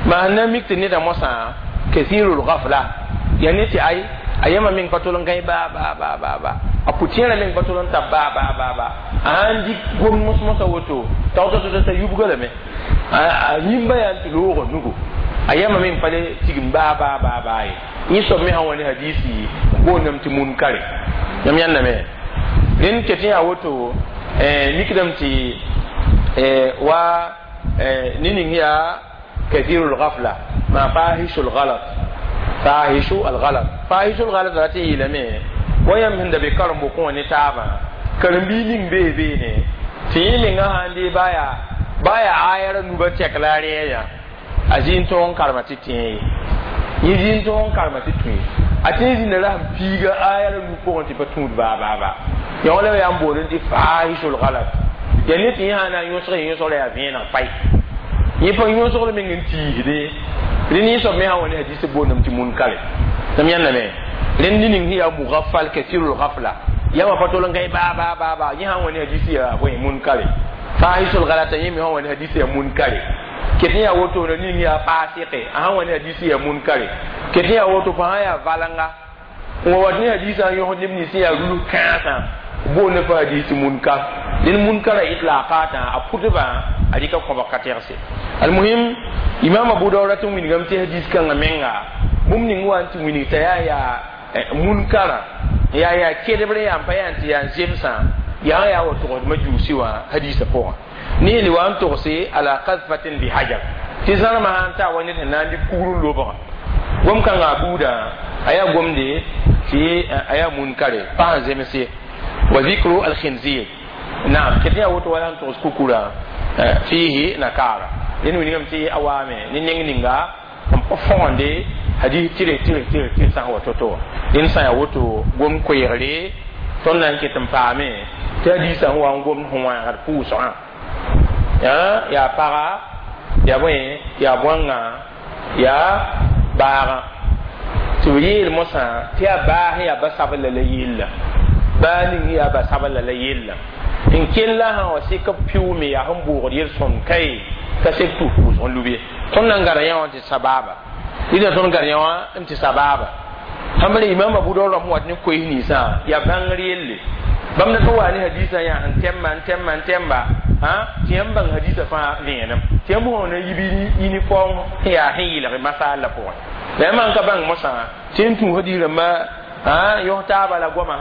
Speaker 1: maa na mik tɩ neda mosã kathirul ghafla ya ne tɩ ay a yãmba meng pa tol n gãe baa baa baa baa baa a pʋ-tẽerã meng pa tol n tab baa baa baa baa a sãn dɩk gom mos-mosã woto tag t'a yubga lame a yĩmba yaa n tɩ loogã nugu a yãmba meng pa le tigim baa baa baa baa ye yẽ soab me sã wa ne hadisi boondame tɩ munkare yãmb yãndame rẽnd ket n yaa woto mikdame tɩ wa ne ning yaa kathirul ghafla ma fahishu lgalat fahishu algalat fahishu lgalat rat n yeelame wa yãmb sẽn da be karen-bokẽ wã ne taabã karen-biig ning bee beene tɩ yẽ menga sãn dee baa yaa baa yaa ayara nuba tɛk la a rɛɛ a zĩ n tõog n karema tɩ tẽe ye yẽ zĩ n tõog n karema tɩ tũ ye a tẽ zĩnda ra sẽn piiga ayara nu pʋgẽ tɩ pa tũud baa baa baa yã wã la yaa n boond tɩ fahishu lgalat yaa ne tɩ yẽ sã na n yõsg yõsg la yaa vẽeneg pay yẽ pa yõsgr meng n tiisde rẽnd yẽ soab me sã wa ne hadis boondame tɩ munkare tɩm yãndame rẽnd ne ning sẽn yaa mugafal kathirul ghafla yãmba pa tol n gãe baa baa baa baa yẽ sã n wa ne hadis yaa bõe munkare fahisul galata yẽ me sã n wa ne hadis yaa munkare ket n yaa woto na ning yaa fasɩke a sã n wa ne hadis yaa munkare ket n yaa woto fo sã yaa valenga n wa wat ne hadisã n yõsd neb nins sẽn yaa rulus kãasã boonda fa hadis munkar rẽnd munkara itlaqatã a pʋtbã a rɩka kõbg ka tɛgse. Almuhim, imam Abu Daoud rat n wilgame tɩ hadis kãngã menga bũmb ning wa n tɩ wilg t'a yaa yaa munkara yaa yaa kedbre yaa n pa yaa n tɩ yaa n zemsã yaa yaa wa togsd majuusi wã hadisã pʋgã ne yel wa n togse ala qadfatin bi hajar tɩ zãrmã sã n taa wa ned sẽn na n dɩk kugr n lobgã gom kãngã a buudã a yaa gomde tɩ a yaa munkare pa sẽn zemse wa zikru alkhinzir naam ket yaa woto wala n togs kukura fihi nakara rẽnd wilgame tɩ a waame ne neng ninga n pa fõgende hadis tɩrg tɩrg tɩrg tɩrg sã n wa to-to wã rẽnd sã yaa woto gom koeegre tõnd na n ket n paame tɩ hadisã sẽn wa n gomd sẽn wãagd pʋʋsgã yaa paga yaa bõe yaa bõangã yaa baagã tɩ b yeel mosã tɩ yaa baa sẽn yaa ba sabla la yella baa ning yaa ba sabla la yella n kella sã wa sɩk b pɩʋʋme yaa sẽn boogd yel-sõmd kae ka sek tʋs pʋʋsg n lub ye tõnd na n gara yã wã tɩ sababa rɩda tõnd gar yã wã n tɩ sababa sãn bara imam Abu Daoud rãmb wat ne koees ninsã yaa bãngr yelle bãmb dat n waa ne hadisã yaa sẽn tɛmba n tɛmba n tɛmba tɩ yãmb bãng hadisã fãa vẽenem tɩ yãmb sã na yib uniform sẽn yaa sẽn yɩlg masal la pʋgẽ la yãmb n ka bãng mosã tɩ n tũ hadis rãmbã yõs taaba la goamã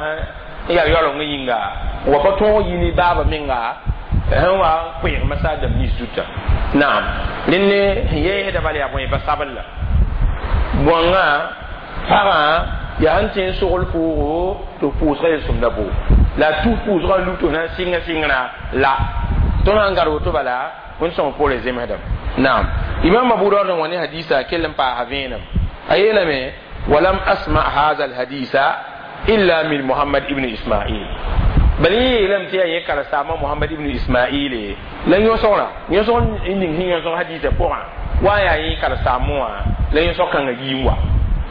Speaker 1: sẽn yaa yaooleng yĩnga wa pa tõog yi ne baaba menga sẽn wa n koeeg masal dãmb nins zuta naam rẽnd ne sẽn yeesda bala yaa bõe ba sabl la bõangã pagã yaa sẽn tẽ n sogl pʋʋgo tɩ pʋʋsga yel-sõmda boo la a tus pʋʋsgã n lub tɩ na n sɩnga sɩngrã la tõnd sãn gad woto bala wẽnd sõng poorẽ zemsdame naam imam Abu Daoud n wa ne hadisa kell n paasa vẽenem a yeelame walam asma hadha alhadisa illa min Muhammad ibn Ismail. Bal yẽ yeelame tɩ yaa yẽ karen-saama Mohamad ibn Ismaile la yõsgrã yõsg n ning sẽn yõsg hadiisã pʋgã wa n yaa yẽ karen-saamẽ wã la yõsg kãngã yii n wa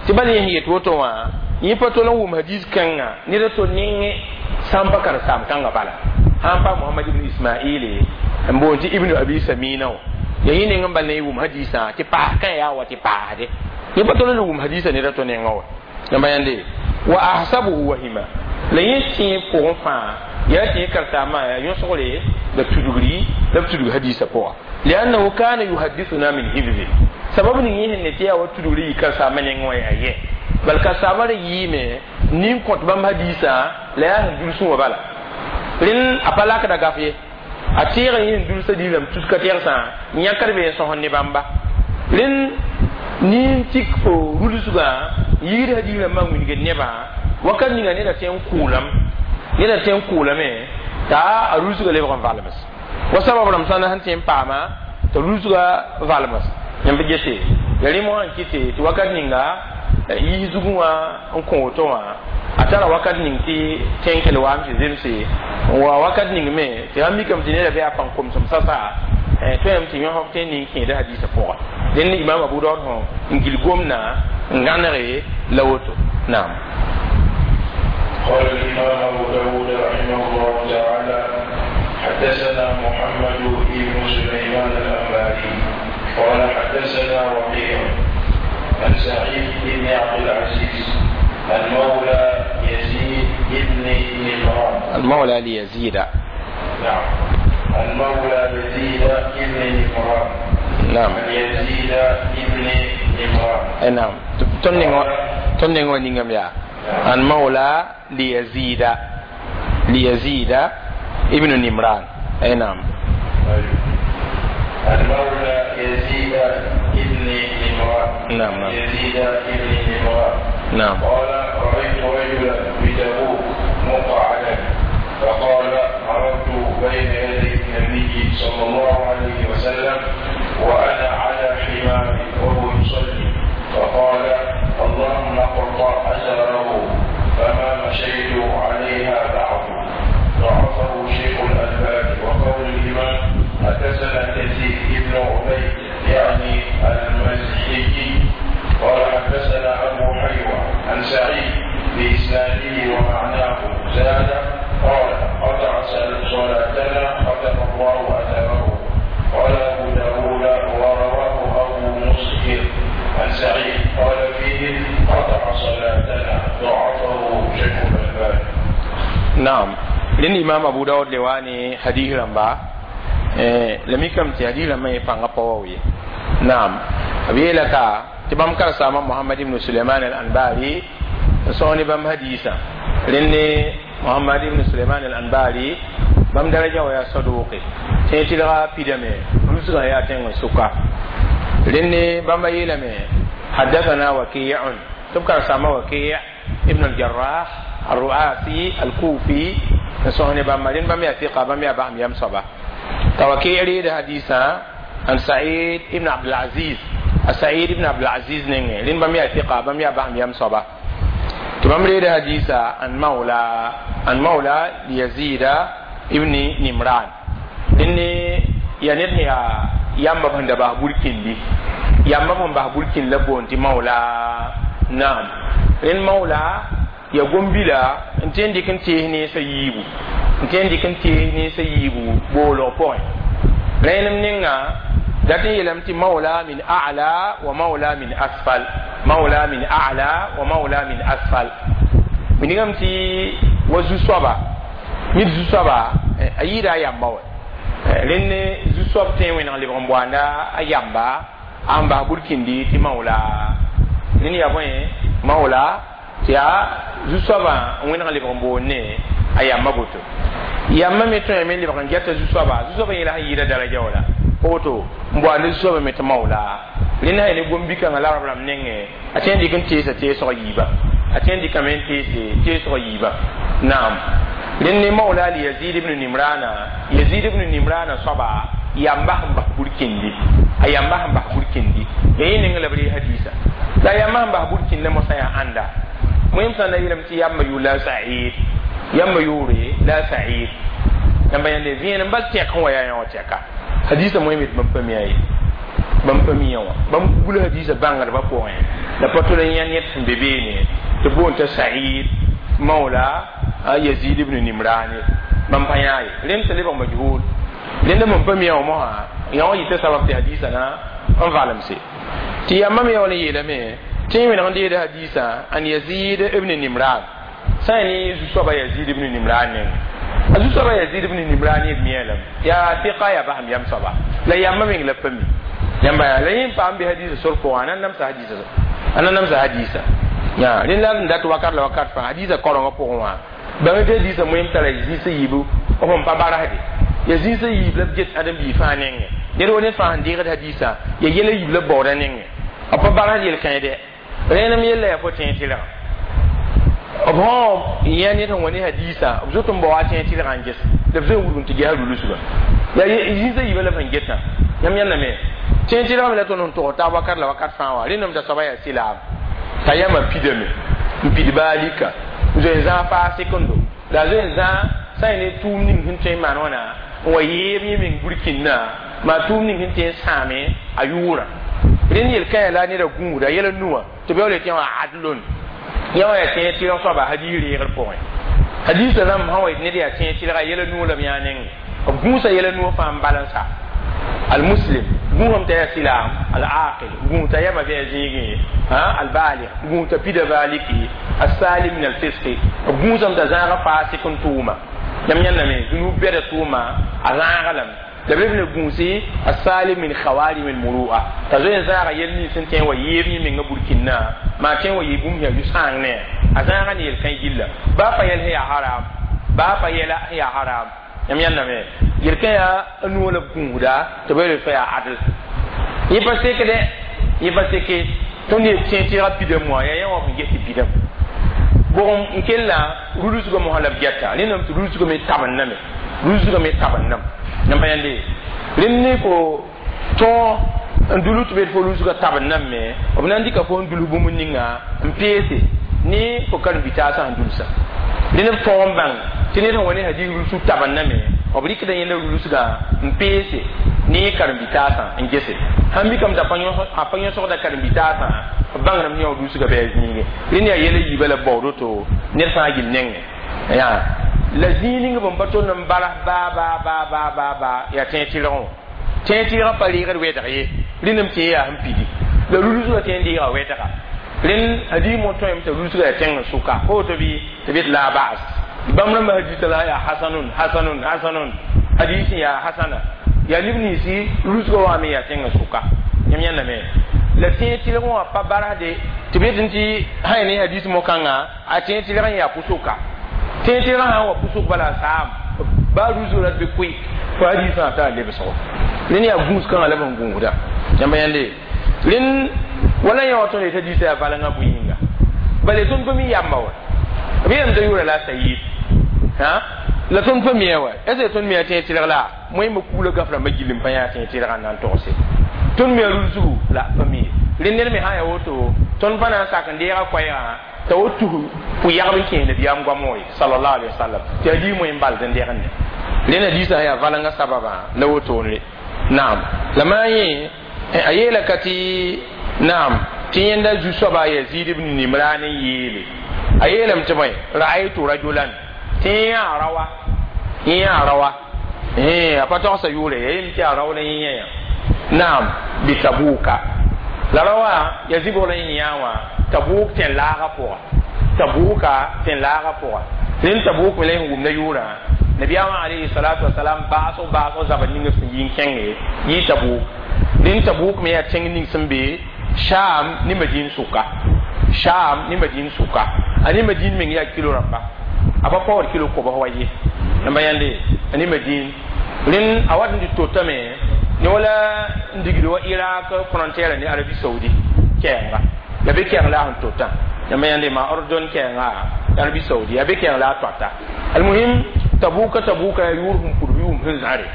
Speaker 1: tɩ bal yẽ sẽn yet woto wã yẽ pa tol n wʋm hadiis kãngã ned a to nengẽ sã n pa karen-saam kãngã bala sã n pa Mohamad ibn Ismaile n boond tɩ Ibnu Abi Samina wã ya yẽ neng n bal ne y wʋm hadiisã tɩ paas kã yaa wa tɩ paasde yẽ pa tol n wʋm hadiisã ned a to nengã wa yãmba yãnde wa ahsabuhu wahima la yẽ tẽeb pʋgẽ fãa yaa tɩ yẽ karen-saamã yaa yõsgre la tudgri la b tudg hadiisã pʋga liannahu kana yuhaddithuna min hifzi sabab ning yẽ sẽn ne tɩ yaa wa tudgri yɩ karen-saamã nengẽ wã yaa yɛ bal karen-saamã ra yɩɩme nin kõt bãmb hadiisã la yaa sẽn dulsẽ wã bala rẽnd a pa lakda gaf ye a tẽega yẽ sẽn dulsa diilame tus ka tɛgsã yãkd be n sõsd ne bãmba rẽnd nin tik fo rulsgã yɩɩd hadiis rãmbã n wilgd nebã wakat ninga neda tõe n kʋʋlame neda tõe n kʋʋlame t'a a rulsgã lebg n valms wa sabab rãmb sãn sẽn tõe n paama t'a rulsgã valms yãmb gese ya rẽm wã n kɩte tɩ wakat ninga yis zugẽ wã n kõ woto wã a tara wakat ning tɩ tẽnkel waam tɩ zemse n wa wakat ning me tɩ sãn mikame tɩ neda bɩ a pãng komsem sasa tõeme tɩ yõsg tõe n ning kẽeda hadiisã pʋga dẽnd imam Abu Daud sõ n gil gomdã n gãnege la woto naam.
Speaker 2: قال الإمام أبو داود رحمه الله تعالى: حدثنا محمد بن سليمان الأنباري قال حدثنا وكيع عن سعيد بن عبد العزيز المولى يزيد بن نمران.
Speaker 1: المولى ليزيد.
Speaker 2: نعم، المولى يزيد بن نمران.
Speaker 1: نعم.
Speaker 2: عن يزيد بن نمران.
Speaker 1: نعم، tõnd nengã wã ningame yaa عن مولى ليزيد ليزيد ابن نمران، اي نعم.
Speaker 2: المولى يزيد ابن نمران.
Speaker 1: نعم نعم.
Speaker 2: يزيد ابن نمران.
Speaker 1: نعم.
Speaker 2: قال: رأيت رجلا بتبوك مقعدا، فقال: مررت بين يدي النبي صلى الله عليه وسلم وأنا على حماري وهو يصلي، فقال: اللهم اقطع أثره، فما مشيت عليها بعد. ضعفه شيخ الألباني. وقول الإمام: حدثنا كثير بن عبيد يعني المزحي قال حدثنا أبو حيوة عن سعيد بإسناده ومعناه، زاد قال: قطع صلاتنا، ختم الله أثره. قال أبو داود: ورواه أبو مسهر عن سعيد قال فيه: قطع صلاتنا. ضعفه شيخ الألباني.
Speaker 1: نعم، rẽnd imam Abu Daud le wa ne hadis rãmba la mikame tɩ hadis rãmbã yẽ pãngã pa wao ye. Naam, b yeela ka tɩ bãmb karen-saamã Mohamad ibn Suleiman al Anbari n sõs ne bãmb hadiisã. Rẽnd ne Mohamad ibn Suleiman al Anbari bãmb daraja wa yaa saduqe tẽ tɩlga pidame rũsgã yaa tẽng n sʋka. Rẽnd ne bãmba yeelame حدثنا وكيع tɩ b karen-saamã Waki ibn al-Jarrah الرؤاسي الكوفي n sõs ne bãmba. Rẽnd bãmb yaa ثقة, bãmb yaa basem yam soaba t'a Waki reeda hadiisã an Said ibn Abdulaziz a Said ibn Abdulaziz nengẽ. Rẽnd bãmb yaa ثقة, bãmb yaa basem yam soaba tɩ bãmb reeda hadiisa an mawla an mawla Yazida ibn Nimran. Rẽnd ne yaa ned sẽn yaa yãmba sẽn da bas burkindi, yãmba sẽn bas burkind la boond tɩ mawla. Naam, rẽnd mawla ya gom-bila n tõe n dɩk n tees nensã yiibu, n tõe n dɩk n tees nensã yiibu boolg pʋgẽ. Rẽenem ninga dat n yeelame tɩ mawla min a'la wa mawla min asfal, mawla min a'la wa mawla min asfal. Wilgame tɩ wa zu-soaba ned zu-soaba a yɩɩda a yamba wa. Rẽnd zu-soab tõe n wẽneg lebg n boanda a yamba a n bas burkindi tɩ mawla. Rẽnd yaa bõe mawla tɩ yaa zu-soabã n wẽneg lebg n boond ne a yamba boto. Yamba me tõeme n lebg n gɛta zu-soaba, zu-soabã yẽla sẽn yɩɩda daraja wala pa woto n boand zu-soabã me tɩ mawla. Rẽnd sã ne gom-bi-kãngã la rab rãmb nengẽ a tõe n dɩk n teesa teesg yiibã, a tõe n dɩkame n teese teesg yiibã. Naam, rẽnd ne mawla li Yazid ibn Nimrana, Yazid ibn Nimrana soaba yamba sẽn bas burkindi, a yamba sẽn bas burkindi ya yẽ neng la b ree hadiisa la a yamba sẽn bas burkindã mosã yaa ãnda. Wẽm sã n da yeelame tɩ yamba yʋʋr la Said. Yãmba yʋʋre la Sa'id. Yãmba yãnde vẽenem bal tɛk sẽn wa yaa yã wã tɛka hadisa moẽ me tɩ bãmb pa mi a ye, bãmb pa mi wã. Bãmb gula hadisa bãngdbã pʋgẽ la pa tol n yã ned sẽn be beene tɩ boond t'a Sa'id mawla Yazid ibn Nimrani, bãmb pa yã ye. Rẽnd t'a lebg majhul. Rẽnda mam pa mi wã mosã yã wã yita sabab tɩ hadisa na n valemse tɩ yãmba me wala yeelame tɩ yẽ wẽneg n deeda hadisa an Yazid ibn Nimran sã n ne zu-soaba Yazid ibn Nimran nengẽ. A zu-soaba Yazid ibn Nimran b miã lame yaa tɩka yaa basem yam soaba la yãmba meng la pa mi yãmba yaa la yẽ paam bɩ hadisa sor pʋgã a na n namsa hadisa, a na n namsa hadisa ya. Rẽnd la n dat wakat la wakat fãa hadisa korengã pʋgẽ wã bãng tɩ hadisa moem tara zĩisã yiibu b sẽn pa barasde ya zĩisã yiib la b get ãdem-biig fãa nengẽ. Ned wa ned fãa sẽn deegd hadisa ya yɛla yiib la b baooda nengẽ, b pa barasd yel-kãe dɛ. Rẽnem yella yaa fo tẽeg tɩlgã b sã yã ned sẽn wa ne hadisa b zot n bao a tẽeg tɩlgã n ges la b zoe n wudg n tɩ ges a rulsgã yaa zĩisã yiibã la b sẽn getã. Yãmb yãndame tẽeg tɩlgame la tõnd sẽn tog taab wakat la wakat fãa wã. Rẽndame t'a soaba yaa silaam t'a yãmba pidame n pid baalika zoe n zãag faasɩkendo la a zoe n zãag sã n ne tʋʋm ning sẽn tõe n maan wãna n wa yeeb yẽ meng burkĩnna maa tʋʋm ning sẽn tõe n sãame a yʋʋrã. Rẽnd yel-kãyã la neda gũuda yɛla nuwã tɩ b yaool tɩ yã wã adlon yã wã yaa tẽeg tɩlg soaba hadiis reegr pʋgẽ. Hadiisã rãmb sã wa yetɩ ned yaa tẽeg tɩlga yɛla nuwã la b yã nengẽ b gũusa yɛla nuwã fãa n balansa almuslim gũusame t'a yaa silaam al-aqil gũus t'a yama bɩ a zĩigẽ albalig gũus t'a pida baaliki asalim min alfisqi b gũusame t'a zãaga faasɩk n tʋʋma. Yãmb yãndame zunub bɛda tʋʋma a zãaga lame la b leb ne gũusi asalim min khawarim almuru'a t'a zoe n zãaga yɛl nins sẽn tõe n wa yeeb yẽ menga burkĩnna maa tõe n wa yɩ bũmb yaa yʋ-sãang ne a zãaga ne yel-kãe gilla baa pa yɛl sẽn yaa haram, baa pa yɛla sẽn yaa haram. Yãmb yãndame yel-kã yaa a nuwã la b gũusda tɩ b yel fa yaa adl. Yẽ pa sekdɛ, yẽ pa seke tõnd ye tẽeg tɩɩga pidame wã yaa yã wã sẽn ges tɩ pidame bʋgem n kella rulsgã mosã la b gɛta. Rẽndame tɩ rulsgã me tabendame, rulsgã me tabendame. Yãmb yãnde rẽnd ne fo tõog n dulu tɩ be fo rulsgã tabendame me b na n dɩka fo n dulus bũmb ninga n peese ne fo karen-bitaasã sẽn dulsã. Rẽnd b tõog n bãng tɩ ned sẽn wa ne hadis rulsg tabendame b rɩkda yẽnda rulsgã n peese ne karen-bitaasã n gese sãn mikame t'a pa yõsgda karen-bitaasã b bãngrame yã rulsgã bɩ a zĩige. Rẽnd yaa yɛla yiibã la baood woto ned fãa gill nengẽ yaa la zĩig ning bõn pa tond n balas baa baa baa baa baa baa yaa tẽeg tɩlgẽ wã. Tẽeg tɩlgã pa reegd wɛdg ye rẽndame tɩ yaa sẽn pidi la rulsgã tõe n deega wɛdga. Rẽnd hadis mo tõeme t'a rulsgã yaa tẽng n sʋka fo woto bɩ tɩ b la bas bãmb rãmbã hadisa la yaa hasanun hasanun hasanun hadis yaa hasana yaa neb ninsi rulsgã wã me yaa tẽng n sʋka. Yãmb yãndame la tẽeg tɩlgẽ wã pa barasde tɩ b yetɩ tɩ sã ne hadis mo-kãngã a tẽeg tɩlgẽ n yaa pʋsʋka. Tẽeg tɩlgã sã n wa pʋsʋk bala saam baa rulsg rat bɩ koe fo hadisã t'a lebsgo. Rẽnd yaa gũus kãngã la b sẽn gũusda. Yãmba yãnde rẽnd wala yã wa tõnd yetɩ hadisã yaa valengã bõe yĩnga bala tõnd pa mi yamba wa b yeelame t'a yʋʋra la Sayid la tõnd pa mia wa est ce tõnd mi a tẽeg tɩlg la moẽmba kuglã gaf rãmbã gill n pa yã tẽeg tɩlgã n na n togse tõnd mi a rulsgu la pa mi. Rẽnd ned me sã yaa woto tõnd pa na n sak n deega koɛɛgã t'a wo tus pʋ-yagb n kẽes nabiyaam goam wã sallallahu alaihi wasallam tɩ a dii moẽ n bal n degende. Rẽnd hadisã yaa valengã sababã la wotone naam la maa yẽ a yeela ka tɩ naam tɩ yẽnda zu-soaba Yazid ibn Nimran n yeele a yeelame tɩ bõe ra'aytu rajulan tɩ yẽ yaa rawa yẽ yaa rawa a pa togsa yʋʋre ya yem tɩ yaa rao la yẽ yã naam bi Tabuka la rawa ya zibg la yẽ yã wã Tabuk tẽn laagã pʋga, Tabuka tẽn laagã pʋga. Rẽnd Tabuk me la yẽ wʋmda yʋʋrã nabiyaamã alayhi salatu wasalam baasg baasg zabr ning b sẽn yi n kẽnge yɩ Tabuk. Rẽnd Tabuk me yaa tẽng ning sẽn be Sham ne Madin sʋka, Sham ne Madin sʋka. A ne Madin meng yaa kilo rãmba a pa paood kilo kobs wa ye yãmba yãnde a ne Madin. Rẽnd a wat n tɩ totame ne wala n digd wa Irak frontière ne Arabie Saoudi kɛɛnga ya be kɛɛng la a sẽn tota. Yãmba yãnde maa Ordon kɛɛnga Arabie Saoudi ya be kɛɛng la a toata. Almuhim Tabuka, Tabuka ya yʋʋr sẽn pudb yʋʋm sẽn zãre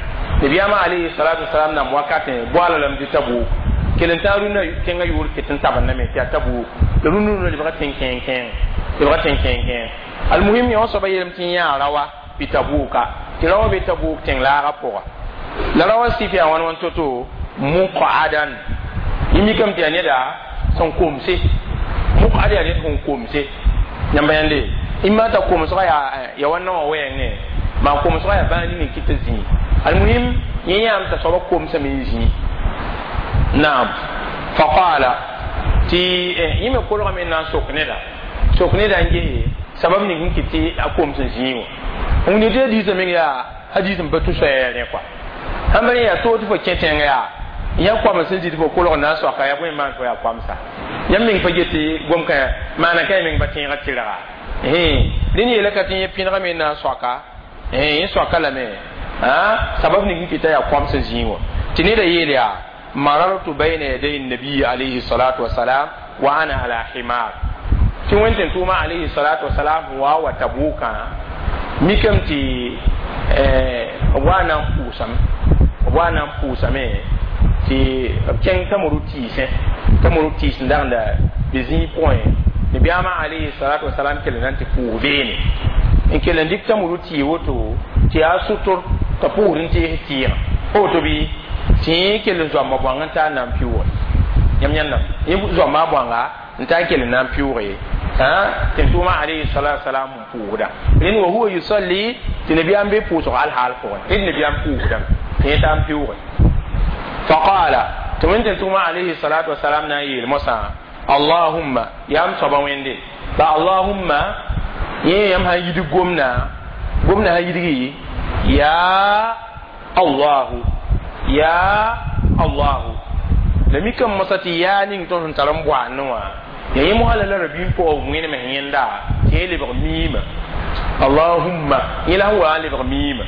Speaker 1: nabiyaamã alayhi salatu wasalam nam wakatẽ boala lame tɩ Tabuk. Kell n tã rũnnã tẽngã yʋʋr ket n tabendame tɩ yaa Tabuk la rũnnã rũnnã lebga tẽn kẽeng kẽeng lebga tẽn kẽeng kẽeng. Almuhim, yõ soaba yeelame tɩ yã rawa bɩ Tabuka, tɩ rawa be Tabuk tẽng laagã pʋga. La rawa sɩf yaa wãn wãn to-to muqadan, yẽ mikame tɩ yaa neda sẽn komse. Muqad yaa ned sẽn komse. Yãmba yãnde imma t'a komsga yaa ya wa naowã wɛɛng ne maa komsga yaa bãag ning n kɩt t'a zĩig. Almuhim, yẽ yãam t'a soaba komsame n zĩig. Naam, faqala tɩ yẽ me kolgame n na n sok neda, sok neda n gese sabab ning n kɩt tɩ a koms n zĩig wã. Wẽnde tɩ hadiisã meng yaa hadiis n pa tʋ soɛɛr rẽ kɔa. Sãn pa rẽ yaa toog tɩ fo kẽ tẽngã yaa yã koam sẽn zĩ tɩ fo kolg n na n soaka yaa bõe n maan fo yaa koamsa. Yãmb meng pa get tɩ gom kã maana ka meng pa tẽegã tɩrga. Rẽnd yeela ka tɩ yẽ pẽnegame n na n soaka, yẽ soaka lame sabab ning n kɩta yaa koam sẽn zĩig wã. Tɩ neda yeel yaa marartu bayna yaday nabiyi alayhi salatu wasalam wa ana ala himar, tɩ wẽn tɩ tʋʋma alayhi salatu wasalam wa wa Tabukã mikame tɩ b wa na n pʋʋsame, b wa na n pʋʋsame tɩ b kẽng tamuru tɩɩsẽ, tamuru tɩɩs n dagenda bɩ zĩig pʋgẽ. Nabiyaamã alayhi salatu wasalam kell n na n tɩ pʋʋs beene n kell n dɩk tamuru tɩɩ woto tɩ yaa sʋtr t'a pʋʋsd n tees tɩɩgã woto bɩ tɩ yẽ kell n zoamba bõang n taa n na n pɩʋʋge. Yãmb yãndame yẽ zoamba a bõanga n taa n kell n na n pɩʋʋge tɩ n tʋʋmã alayhi salatu wasalam n pʋʋsda. Rẽnd wa huwa yusalli, tɩ nabiyaam be pʋʋsg alhaal pʋgẽ, rẽnd nabiyaam pʋʋsdame tɩ yẽ taa n pɩʋʋge. Faqala, tɩ wẽn tɩ tʋʋmã alayhi salatu wasalam na n yeel mosã: Allahumma, yaam soaba wẽnde la Allahumma. Yẽ yãmb sã n yidg gomna, gomna sã yidgi ya Allahu, ya Allahu. La mikame mosã tɩ yaa ning tõnd sẽn tar n boaandẽ wã ya yẽ mosã la la rabiim pʋgã wẽnem sẽn yẽnda tɩ yẽ lebg miimã. Allahumma, yẽ la sẽn wa n lebg miimã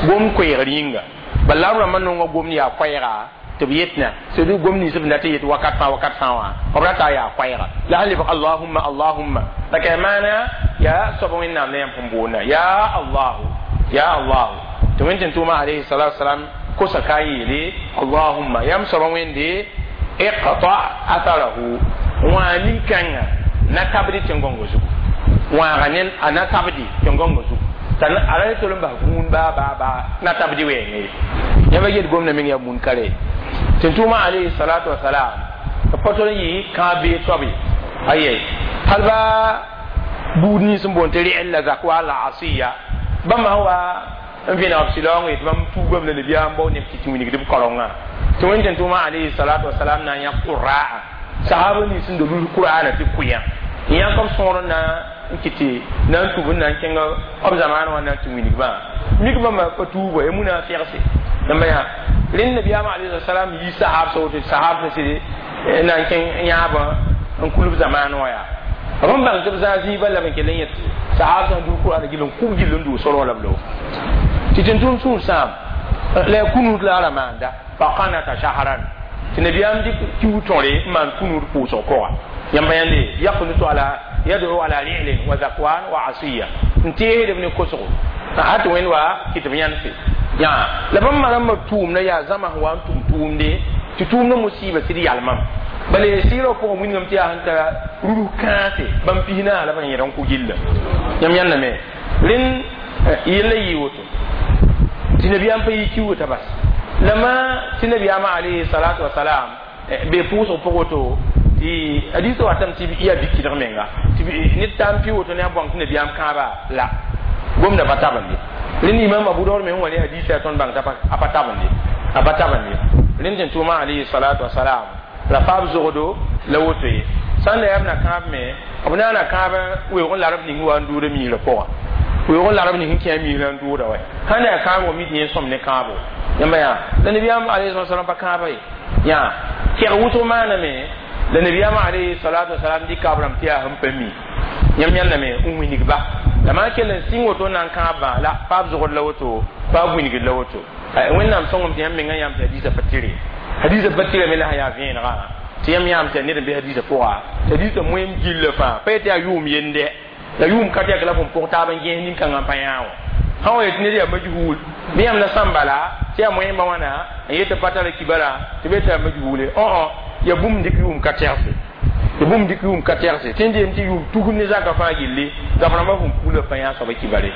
Speaker 1: gom koɛɛgr yĩnga. Bala la b rãmbã nonga gomd yaa koɛɛga tɩ b yetna sẽd gom nins b dat yet wakat fãa wakat fãa wã b rata yaa koɛɛga la sẽn lebg Allahumma, Allahumma. La ka maana yaa soab Wẽnnaam la yãmb sẽn boonda ya Allahu, ya Allahu. Tɩ wẽn tɩ tʋʋma alayhi salatu wasalam kosa ka n yeele: Allahumma, yãmb soaba Wẽnde, iqta atharahu, wã nin-kãngã na tabdi tẽn-gõngã zugu, wãaga ne a na tabdi tẽn-gõngã zugu t'a a ra tol n bas gũud baa baa baa na tabdi wɛɛngã ye. Yãmba get gomda meng yaa bũn kare tɩ tʋʋma alayhi salatu wasalam b pa tol n yɩ kãab bee soab ye ayɛ hal ba buud nins n boond tɩ rɩ'l la zakwa la asiya bãmb sã wa n vẽneg b sɩlaoong ye tɩ bãmb tuugame la nabiyaam bao neb tɩ tɩ wilgd b kaorengã. Tɩ wẽn tɩ tʋʋma alayhi salatu wasalam na n yã qurra'a sahaba nins n da rus qur'ana tɩ kʋyã n yãk b sõor n na n kɩt tɩ na n tub n na n kẽng b zamaanã wã na n tɩ wilgbã mik bãmba pa tuuba ya munafɩgse. Yãmba yaa rẽnd nabiyaamã alayhi salam yi sahab sa woto sahab sẽn sɩd na n kẽng yãabã n kul b zamaanã wã yaa b n bãng tɩ b zãa zĩig bal la b n kell n yẽ sahab sẽn duu qur'ana gill n kub gill n duu sorg la b lo tɩ tẽn-tʋʋm sũur sãam la ya kunuud la a ra maanda. Faqanata shahran, tɩ nabiyaam dɩk kiu tõre n maan kunuud pʋʋsg pʋga. Yãmba yãnde yaqnutu ala yad'u ala ri'lin wa zakwan wa asiya n teesd b ne kosgo a tɩ wẽnd wa kɩ tɩ b yãnse yã la bãmb ma rãmbã tʋʋmda yaa zãma sẽn wa n tʋm tʋʋmde tɩ tʋʋmdã musiiba sɩd yalmam bala sɩɩrã pʋgẽ wilgame tɩ yaa sẽn tara rurus kãase bãmb pis naas la b sẽn yẽd n kʋ gilla. Yãmb yãndame rẽnd yella yɩ woto tɩ nabiyaam pa yɩ kiuga t'a bas lama tɩ nabiyaamã alayhi salatu wasalam be pʋʋsg pʋg woto tɩ hadiisã watame tɩ yaa bikidg menga tɩ ned taa n pɩ woto ne a bõng tɩ nabiyaam kãaba la gomda pa tabende. Rẽnd imam Abu Daud me sẽn wa ne hadiisã yaa tõnd bãng t'a pa tabende, a pa tabende. Rẽnd tɩ tʋʋma alayhi salatu wasalam la paab zogdo la woto ye sãn da yaa b na kãab me b na na kãab weoog n larb ning wa n duuda miirã pʋgã, weoog n larb ning n kẽ miirã n duuda wɛ sãn da yaa kãabgo mi tɩ yẽ sõm ne kãabo. Yãmba yaa la nabiyaam alayhi salam pa kãaba ye yaa kɛg wʋsg maaname la nabiyaam alayhi salatu wasalam dɩka b rãmb tɩ yaa sẽn pa mi. Yãmb yãndame n wilgba la maa kell n sɩng woto n na n kãab la paab zogd la woto, paab wilgd la woto. Wẽnnaam sõngame tɩ yãmb mengã yãmb tɩ hadiisã pa tɩre, hadiisã pa tɩrame la sã yaa vẽenegã tɩ yãmb yãam tɩ ned n be hadiisã pʋga tɩ hadiisã moeem gilla fãa pa yetɩ yaa yʋʋm yende la yʋʋm ka tɛk la fõn pʋg taab n gẽes nin-kãngã n pa yã wã sã wa yetɩ ned yaa majhuul bɩ yãmb na sãn bala tɩ yaa moẽmba wãna n yet tɩ pa tara kibara tɩ be tɩ yaa majhuule õ Ya bũmb dɩk yʋʋm ka tɛgse, tɩ bũmb dɩk yʋʋm ka tɛgse tɩ n deem tɩ yʋʋm tusg ne zakã fãa gilli gaf rãmbã sẽn pula pa yã soaba kibare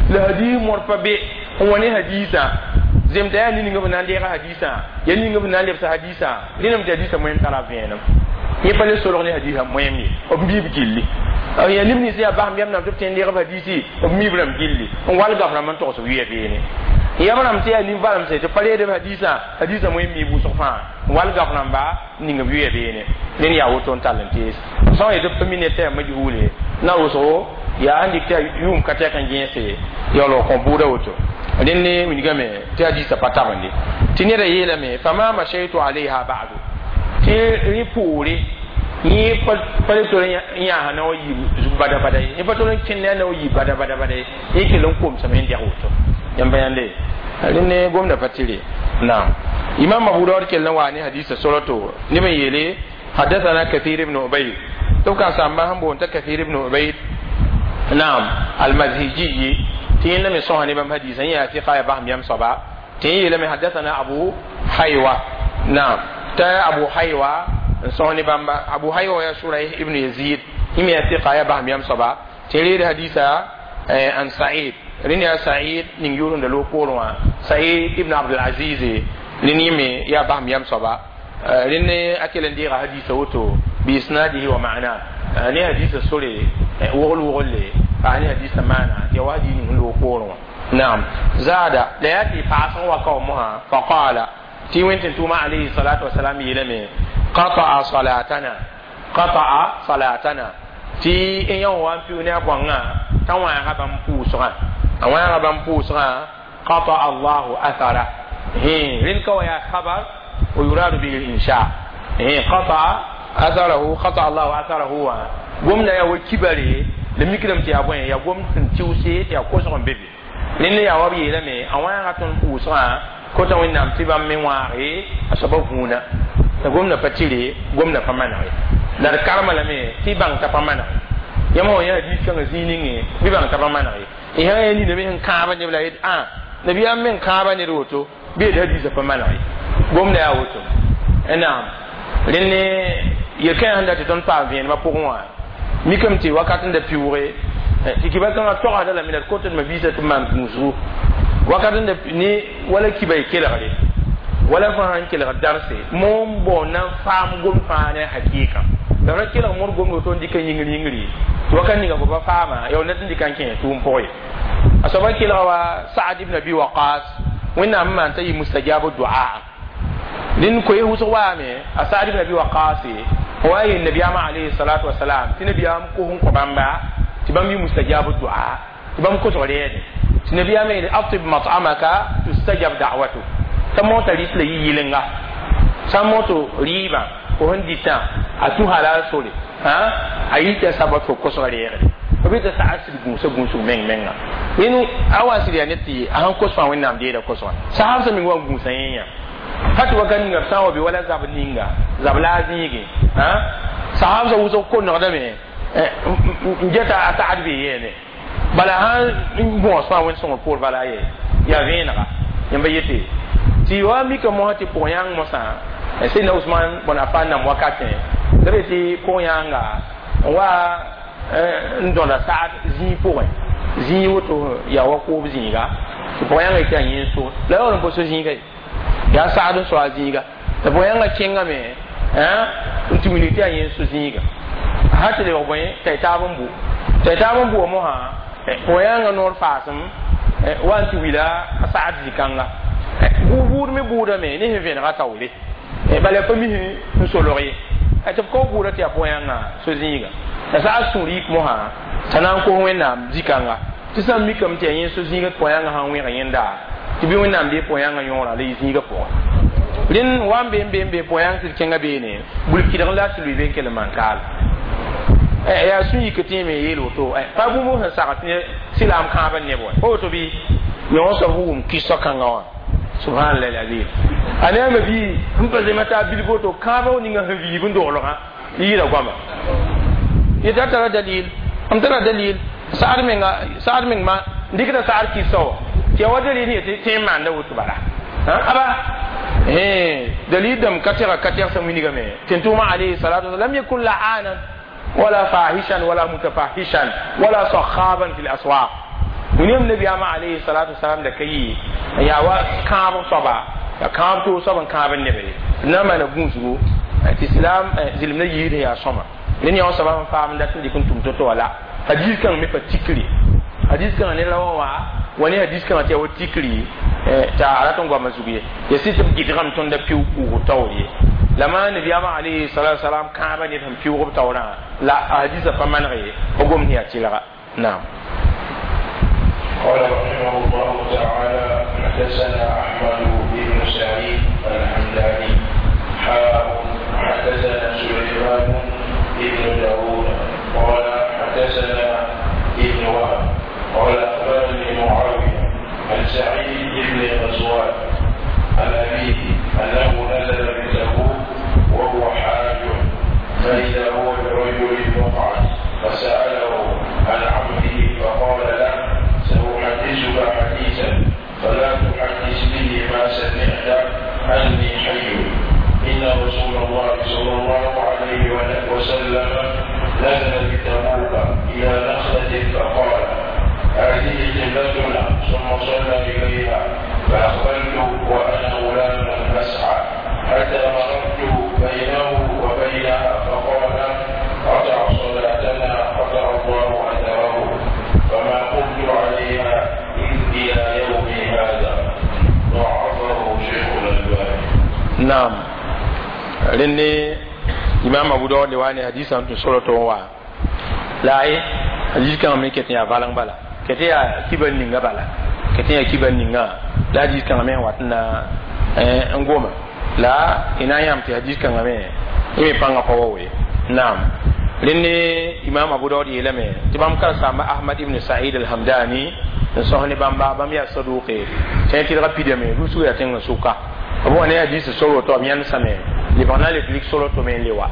Speaker 1: la hadiis mõr pa be n wa ne hadiisã zemta yaa ning b na n deega hadiisã yaa ning b na n lebsa hadiisã rẽndame tɩ hadiisã moẽm tara vẽenem yẽ pa le solg ne hadiisã moẽm ye b miib gilli yaa neb nins yaa basem yam nam tɩ b tõe n deeg b hadiisi b miib rãmb gilli n wall gaf rãmb n togs b yʋya beene yam rãmb tɩ yaa nin-valemse tɩ pa reed b hadiisã hadiisã moẽm miib wʋsg fãa n wall gaf rãmba n ning b yʋya beene rẽnd yaa woto n tall n tees sã n yetɩ b pa mi ned tɩ yaa majhuule na wʋsgo yaa sẽn dɩk tɩ yʋʋm ka tɛk n gẽese yaoolg kõ bʋʋda woto rẽnd ne wilgame tɩ hadiisã pa tabende tɩ neda yeelame fama mashaytu alayha ba'du tɩ rẽ poore yẽ pa le tol n yãasa na wa yiib zug bada bada ye yẽ pa tol n kẽnd a na wa yiib bada bada bada ye yẽ kell n komsame n dɛg woto yãmb yãnde rẽnd ne gomda pa tɩre naam imam abu daud kell n waa ne hadisa soroto neb n yeele حدثنا كثير بن عبيد tɩ b ka-sãmbã sẽn boond t'a kathir ibn ubayd naam almazhiji tɩ yẽnda me sõsa ne bãmb hadisa yẽ yaa fiqa ya basem yam soaba tɩ yẽ yeelame حدثنا abu haywa naam t'a abu haywa n sõs ne bãmba abu haywa ya shuraih ibn yazid yẽ me yaa fiqa ya basem yam soaba tɩ reed hadisa an sa'id rẽnd yaa sa'id ning yʋʋrẽnda loog poorẽ wã sa'id ibn abdulaziz rẽnd yẽ me yaa basem yam soaba rẽnd a kell n deega hadisa woto biisnadihi wa ma'na ne hadisa sore wogl wogle pa ne hadisa maana ya wa hadis ning loog poorẽ wã naam zada la yaa tɩ paasẽ wa ka wa mosã faqala tɩ wẽn tʋʋma alayhi salatu wasalam yeelame qata'a salatana qata'a salatana tɩ n yã wa n pɩʋ ne a bõangã t'a wãaga bãmb pʋʋsgã a wãaga bãmb pʋʋsgã qata'a allahu athara rẽnd ka wa yaa khabar ويراد به الإنشاء قطع أثره قطع الله أثره gomda ya wa kibare la mikdame tɩ yaa bõe yaa gom sẽn tɩʋse tɩ yaa kosg n be be rẽnd yaa wa b yeelame a wãaga tõnd pʋʋsgã kota wẽnnaam tɩ bãmb me wãage a soaba vũuna la gomda pa tɩre gomda pa manege la d karma lame tɩ bãng t'a pa manege yãmb wã yaa diis kãngã zĩig ninge bɩ bãng t'a pa manege y sã yaa nina me sẽn kãaba neb la yet ã nabiyaam me n kãaba ned woto bɩ yet hadiisã pa manege gomda yaa woto naam rẽnd ne yel-kãã sẽn dat tɩ tõnd paam vẽenemã pʋgẽ wã mikame tɩ wakat n da piʋʋge tɩ kiba kãngã togsda lame la d kot d mabiisã tɩ b maan gũusgu wakat n da ne wala kiba y kelgre wala fãa sãn kelgd darse moon bao na n faam gom fãa ne hakɩɩka la ra kelg mõr gomd woto n dɩka yĩngr yĩngri tɩ wakat ninga fo pa faama ya net n dɩka n kẽ tʋʋm pʋgẽ ye a soaba kelga wa saad ibn abi waqas wẽnnaam n maan t'a yɩ mustajabu duaa rẽnd koe wʋsg waame a saad ibn abi waqas wa yel nabiyaamã alayhi salatu wasalam tɩ nabiyaam kos n kõ bãmba tɩ bãmb yɩ mustajabu duaa tɩ bãmb kosg reede tɩ nabiyaamã yeele atib mat'amaka tustajab da'watuk t'a mota rɩs la yɩ yɩlenga sã n moto rɩɩbã fo sẽn dɩtã a tũ halal sore a yɩ tɩ a sabat fo kosg reegre b tɩ saad sɩd gũusa gũusg meng menga rẽnd a wa sɩd yaa ned tɩ a sãn kos fãa wẽnnaam deeda kosgã sahab sã meng wa n gũusa yẽ yã pa tɩ wakat ninga b sã n wa be wala zab ninga zab la a zĩige sahab sã wʋsg konegdame n geta a saad bee yeene bala sãn bõos fãa wẽnd sõngr poor bala ye yaa vẽenega yãmba yete tɩ wa mika mosã tɩ pʋg yãng mosã sẽdna usman bõn afan nam wakatẽ la be tɩ pʋg yãnga n wa n dõda saad zĩig pʋgẽ zĩig woto yaa wa koob zĩiga tɩ pʋg yãnga yetɩ yaa yẽ n so la yaool n pa so zĩiga ye yaa saad n so a zĩiga tɩ pʋg yãnga kẽngame n tɩ wilg tɩ yaa yẽ n so zĩiga sã tɩ lebg bõe t'a y taab n bu t'a y taab n bʋa mosã pʋg yãnga noor faasem wa n tɩ wila a saad zĩ-kãnga buud me buudame ne sẽn vẽnega taoole bala pa mis n solg ye tɩ b ka buuda tɩ yaa pʋg yãnga so zĩiga la saad sũur yik mosã t'a na n kos wẽnnaam zĩ-kãnga tɩ sã n mikame tɩ yaa yẽ so zĩiga tɩ pʋg yãnga sã n wẽg yẽnda tɩ bɩ wẽnnaam dee pʋg yãnga yõora la yɩ zĩiga pʋgẽ rẽnd wa n be n be n be pʋg yãng tɩ d kẽnga beene bul-kɩdg la tɩ lʋɩ be n kell n maan kaal yaa sũ yik tɩ me yeel woto pa bũmb sẽn sagd tɩ sɩlaam kãabã neb wã pa woto bɩ yõ soab sẽn wʋm kɩsɔ kãngã wã subhanallah alazim a ne a bi n pa zema t'a bilg woto kãabã ninga sẽn viib n doglgã yɩɩda goama yetɩ tara dalil m tara dalil saad menga saad meng ma dɩkda saad kɩsa wa tɩ ya wa dalil yetɩ tẽ n maanda woto bala aba Eh, dalil dam ka tɛga ka tɛgsa wilgame tɩ alayhi salatu lam yakun la'anan wala fahishan wala mutafahishan wala sakhaban fi laswaq. Wẽnnaam nabiyaamã alayhi salatu wasalam da ka yɩ n yaa wa kãab soaba, ya kãab toog soab n kãab n nebe na n maana gũusgo tɩ islam zɩlem na yiisd n yaa sõma. Rẽnd yã wã soaba sẽn faam n dat n dɩk n tʋm to-to wala hadis kãng me pa tikri, hadis kãngã ne la wã wa ne hadis kãngã tɩ yaa wa tikri t'a a rat n goamã zug ye ya sɩ tɩ b gɩdgame tõnd piʋʋg puugr taoor ye. La maa nabiyaamã alayhi salatu wasalam kãabã ned sẽn piʋʋg b taoorã la a hadisã pa maneg ye, b gomd sẽn yaa tɩlga. Naam.
Speaker 2: قال رحمه الله تعالى: حدثنا أحمد بن سعيد الحمداني حاء، حدثنا سليمان بن داود قال حدثنا ابن وهب قال أخبرني معاوية عن سعيد بن غزوان عن أبيه أنه نزل بتبوك وهو حاج، فإذا هو برجل مقعد، فسأله عن عمه فقال له: سأحدثك حديثا فلا تحدث به ما سمعت أني حي. إن رسول الله صلى الله عليه وسلم نزل بتبوك إلى نخلة فقال: هذه قبلتنا، ثم صلى إليها، فأقبلت وأنا غلام أسعى حتى مررت بينه وبينها فقال: قطع صلاتنا، قطع الله أثره، فما قمت عليها إلى يومي هذا. ضعفه شيخ الألباني.
Speaker 1: Naam, rẽnd imam Abu Daud le wa ne hadisã tɩ sora tɩ wa la ye hadis kãngã me ket n yaa valeng bala, ket yaa kibar ninga bala, ket yaa kibar ninga la hadis kãngã me wat n na n goma la y na n yãam tɩ hadis kãngã me y me pãngã pa wa we. Naam, rẽnd imam Abu Daud yeelame tɩ bãmb karsaamba Ahmad ibn Said alhamdani n sõs ne bãmba, bãmb yaa saduke tẽ tɩlga pidame rusg yaa tẽngã sʋka b wa ne hadis sor woto b yãnesame lebg na le lik sor woto me n le wa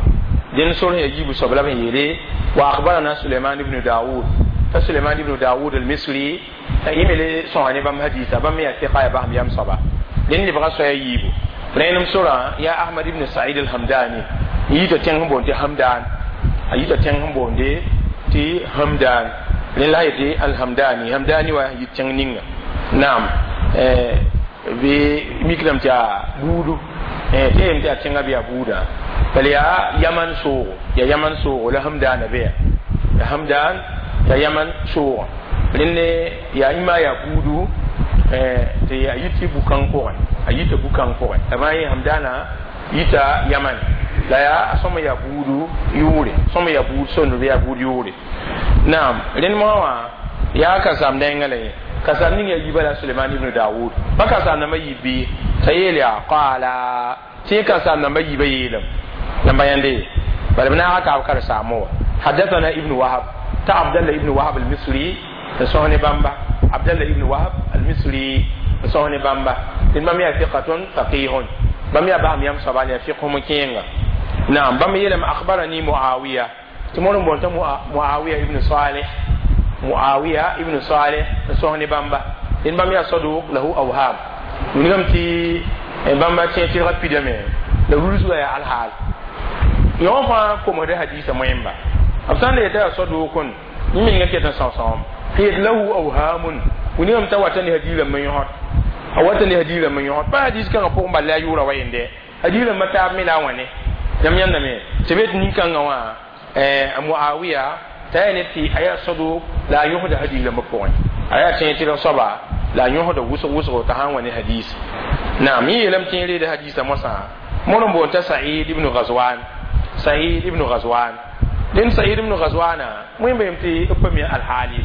Speaker 1: dẽnd sor sẽn yaa yiibu soab la b sẽn yeele wa akhbarana Suleiman ibn Daoud, ta Suleiman ibn Daoud al-Misri yẽ me le sõsa ne bãmb hadisa, bãmb me yaa tɩka yaa basem yam soaba. Dẽnd lebga soaya yiibu rẽenem sorã yaa Ahmad ibn Said al-Hamdani n yita tẽng sẽn boond tɩ Hamdan, a yita tẽng sẽn boonde tɩ Hamdan, rẽnd la yetɩ alhamdani, Hamdani wa yit tẽng ninga. Naam, bɩ mikrame tɩ yaa buudu tɩ yem tɩ yaa tẽngã bɩ yaa buudã bala yaa yaman soogo, yaa yaman soogo la Hamdaana be ya Hamdan yaa yaman soogo. Rẽnd yaa ima yaa buudu tɩ a yit tɩ bu-kãng pʋgẽ, a yita bu-kãng pʋgẽ la bãa yẽ Hamdaana yita yaman la yaa a sõma yaa buudu yʋʋre, sõma yaa buud sondr yaa buud yʋʋre. Naam, rẽnd moã wã yaa kasaam dẽngã la yẽ kasaam ning yaa yiba la Suleiman ibn Daoud pa kasaam namba yiib bɩ t'a yeel yaa qaala tɩ kasaam namba yiibã yeelame namba yãnde bala b naaga kaab karsaamo wa حدثنا ابن وهب تا عبد الله ابن وهب المصري sõs ne bãmba, عبد الله ابن وهب المصري sõs ne bãmba tɩ bãmb yaa ثقة فقيه, bãmb yaa basem yam soaba yaa fiqh m kẽenga. Naam, bãmb yeelame أخبرني معاوية tɩ mõr n boond t'a Muawiya ibn Salih, Muawiya ibn Salih n sõs ne bãmba. Dẽnd bãmb yaa صدوق له أوهام, wilgame tɩ bãmba tẽ tɩlga pidame la rulsga yaa alhaal yõ fãa komsda hadisa moẽmba b sã n le yetã yaa صدوق yẽ menga ket n sõsõm tɩ yet له أوهام, wilgame t'a wata ne hadiis rãmb n yõsd, a wata ne hadiis rãmb n yõsd pa hadis kãngã pʋgẽ bal la a yʋʋra wa yende hadiis rãmbã taab me la a wãne yãmb yãndame tɩ be tɩ nin-kãngã wã Muawiya t'a yaa ne tɩ a yaa صدوق la a yõsda hadiis rãmbã pʋgẽ, a yaa tẽ tɩlg soaba la a yõsda wʋsg wʋsgo t'a sã n wa ne hadis. Naam, yẽ yeelame tɩ yẽ reeda hadisa moasã mõr n boond t'a Said ibn Ghazwan, Said ibn Ghazwan. Dẽnd Said ibn Ghazwana wẽn beem tɩ b pa mi alhaali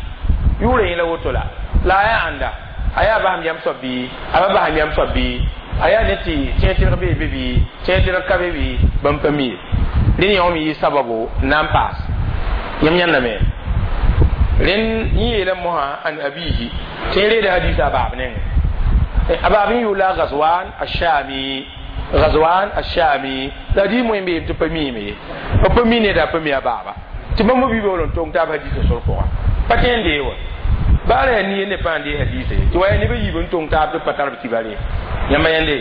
Speaker 1: yʋʋra yẽ la woto la la a yaa ãnda, a yaa basem yam soab bɩ a pa basem yam soab bɩ a yaa ne tɩ tẽ tɩlg bee be bɩ tẽ tɩlg ka be bɩ bãmb pa mi ye. Rẽnd yã me yɩ sababu n na n paas yãmb yãndame. Rẽnd yẽ yeelame mosã عن أبيه tɩ yẽ reeda hadisa a baab nengẽ, a baab n yʋʋr la Ghazwan Ashami, Ghazwan Ashami la hadis moẽ beem tɩ pa miime ye, b pa mi neda pa mi a baaba tɩ bãmb bi baool n tong taab hadisa sor pʋga pa tẽ n dee wa baara yaa nie ne pãa n dee hadisa ye tɩ wa yaa neb a yiib n tong taab tɩ pa tar b kibare. Yãmba yãnde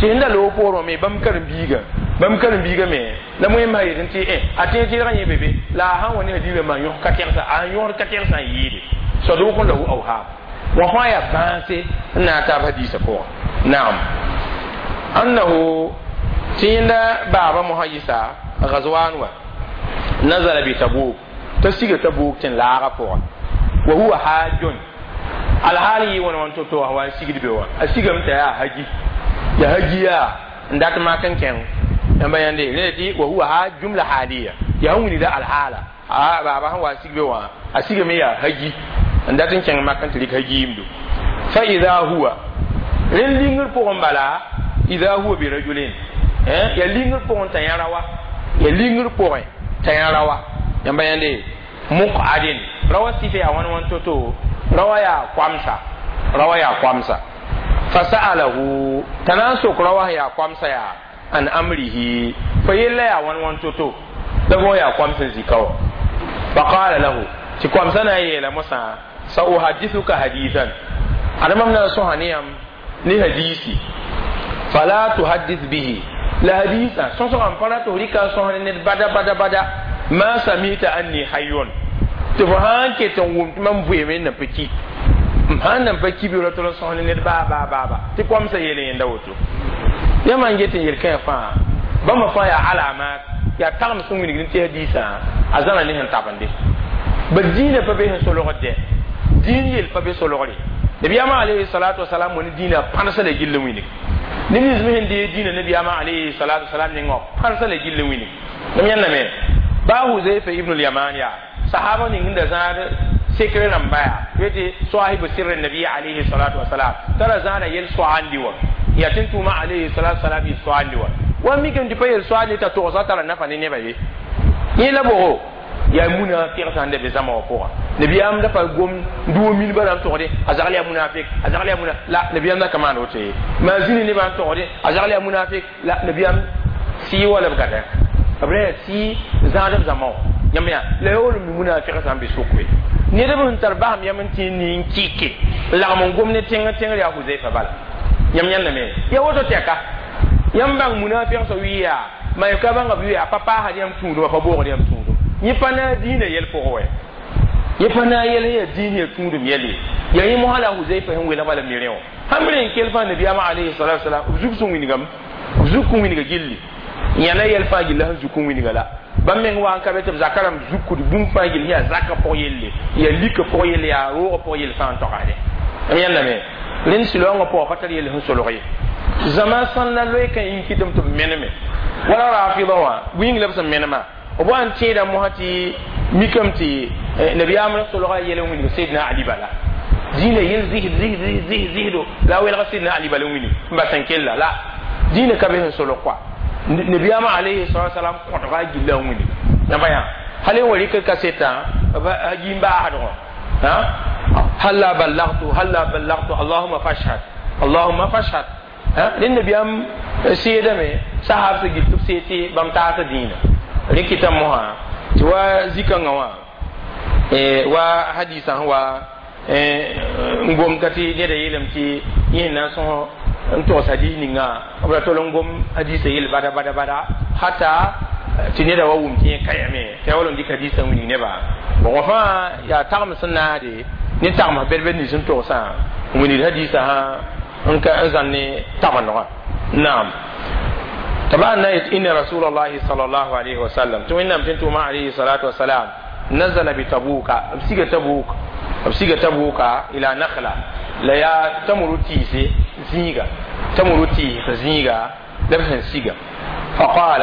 Speaker 1: tɩ sẽn da loog poorẽ me bãmb karen-biigã bãmb karen-biigã me la wẽmba yetẽ tɩ a tẽeg tɩɩdgã yẽ be be la a sãn wa ne hadiis rãmbã yõs ka tɛgsa a yõsd ka tɛgsã n yɩɩde sadʋʋk lahu awham wã fãa yaa bãase n na n taab hadiisã pʋgã naam annahu tɩ yẽnda baaba mosã yɩsa gazwan wa nazala bi tabuk t'a siga tabuk tɩ n laaga pʋga wa huwa hajjun alhaal yɩ wãn wãn to-to wa n sigd be wã a sigame t'a yaa haji ya haji yaa n dat mak n kẽng yãmba yãnde rẽ tɩ wa huwa ha jumla haliya yaa sẽn wilgda alhaala a baaba sẽn wa n sig be wã a sigame yaa haji n dat n kẽng mak n tɩ rɩk hajiimdu fa ida huwa rẽnd lingr pʋgẽ bala ida huwa birajulin ya lingr pʋgẽ t'a yã rawa ya lingr pʋgẽ t'a yã rawa yãmba yãnde muqadin rawa sɩfɛ yaa wãn wãn to-to rawa yaa koamsa rawa yaa koamsa fasa'alahu t'a na n sok rawa yaa koamsa yaa an amrihi fa yella yaa wãn wãn to-to la fo yaa koams n zika wa faqala lahu tɩ koamsã na n yeela mosã sauhadithuka hadithan ada mam na n sõsa ne yãmb ne hadisi fala tuhaddith bihi la hadisa sõsgã n pa ra tɩ f rɩka n sõs ne ned bada bada bada ma samita anni hayyun tɩ fo sãn ket n wʋm tɩ mam vɩɩme n na pa ki m sãn nan pa ki bɩ ra tɩ sõs ne ned baa baa baaba tɩ koamsã yeele yẽnda woto yãmb n get n yel-kãe fãa bãmba fãa yaa alamat yaa tagem sẽn wilgd n tɩ hadiisã a zãna ne sẽn tabende ba dĩinã pa be sẽn solgd dɛ dĩin yel pa be solgre nabiyaamã alayhi salatu wasalam wã ne dĩinã pãnsa la gill n wilg neb nins me sẽn dee dĩinã nabiyaamã alayhi salatu wasalam nengã wã pãnsa la gill n wilg mam yãndame baa huzaifa ibn al-yaman yaa sahaba ning sẽn da zãad sekre rãmba yaa tɩ sahibu sirri nabi alayhi salatu wasalam t'a ra zãada yel soaandi wã yaa tɩ n tʋʋma alayhi salatu wasalam yɩ soaandi wã wa mikame tɩ pa yel soaandi t'a togsga tara nafa ne nebã ye yẽ la bogo yaa munafiq sãn da be zãma wã pʋga nabiyaam da pa gom duo milba rãmb togde a zagl yaa munafik a zagl yaa muna la nabiyaam da ka maan woto ye maa zĩni nebã n togde a zagl yaa munafik la nabiyaam sɩɩ wa la b gata b ra yaa sɩɩ zãadb zãma wã yãmb yaa la ya wall mi munafiq sãn be sʋkwe ned b sẽn tar basem yam n tĩ nin kɩke n lagm n gom ne tẽng tẽngr yaa huzaifa bala yãmb yãndame ya woto tɛka yãmb bãng munafiq sã wɩ yaa ma ka bãnga b yaa pa paasd yãmb tũudum a pa boogd yãmb tũudum yẽ pa na a dĩinã yɛl pʋgẽ wɛ yẽ pa na a yɛl yaa dĩin yaa tũudum yɛl ye yaa yẽ mosã la a huzaifa sẽn welg bala mirẽ wã sãn b rẽ n kell fãa nabiyaamã alayhi salatu wasalam b zug sẽn wilgame b zuk n wilga gilli yãna yɛl fãa gilla sẽn zuk n wilga la bãmb meng wa n ka be tɩ b zaka rãmb zukud bũmb fãa gill yaa zakã pʋg yelle yaa lika pʋg yelle yaa roogã pʋg yell fãa n togsde m yãndame rẽnd sɩlaoongã pʋgã pa tar yell sẽn solg ye zãma sãn la loe ka yĩng kɩtame tɩ b meneme wala rafida wã bu-yĩng la b sẽn menema b wa n tẽeda mosã tɩ mikame tɩ nabiyaam ra solga yɛl n wilg sedna ali bala dĩinã yel zɩsd zɩsd zɩsd zɩsd zɩsdo la a welga sidna ali bala n wilg n bas n kella la dĩinã ka be sẽn solg koa nabiyaam alayhi salatu wasalam kõtga a gilla n wilg yãmba yã hal n wa rɩk kasetã a yĩn baasdgõ halla ballagtu halla ballagtu allahuma fashhad allahuma fashhad rẽnd nabiyaam seedame sahab sã gil tɩ b see tɩ bãmb taasa dĩinã rẽ kɩta mosã tɩ wa zikãngã wã wa hadisã sẽn wa n gom ka tɩ neda yeelame tɩ yẽ na n sõs n togs hadis ninga b ra tol n gom hadisã yel bada bada bada hata tɩ neda wa wʋm tɩ yẽ kayame tɩ ya wall n dɩk hadisã n wilg nebã bon wã fãa yaa tagem sẽn naade ne tagms bɛd-bɛd nins n togsã n wilgd hadisã sã n ka n zãn ne tagmdgã naam طبعا إن رسول الله صلى الله عليه وسلم توينام تنتو عليه الصلاة والسلام نزل بتبوك بسيغة تبوك بسيغة تبوك إلى نخلة لا يا تمر تيسي زيغا تمر تيسي زيغا لبسن سيغا فقال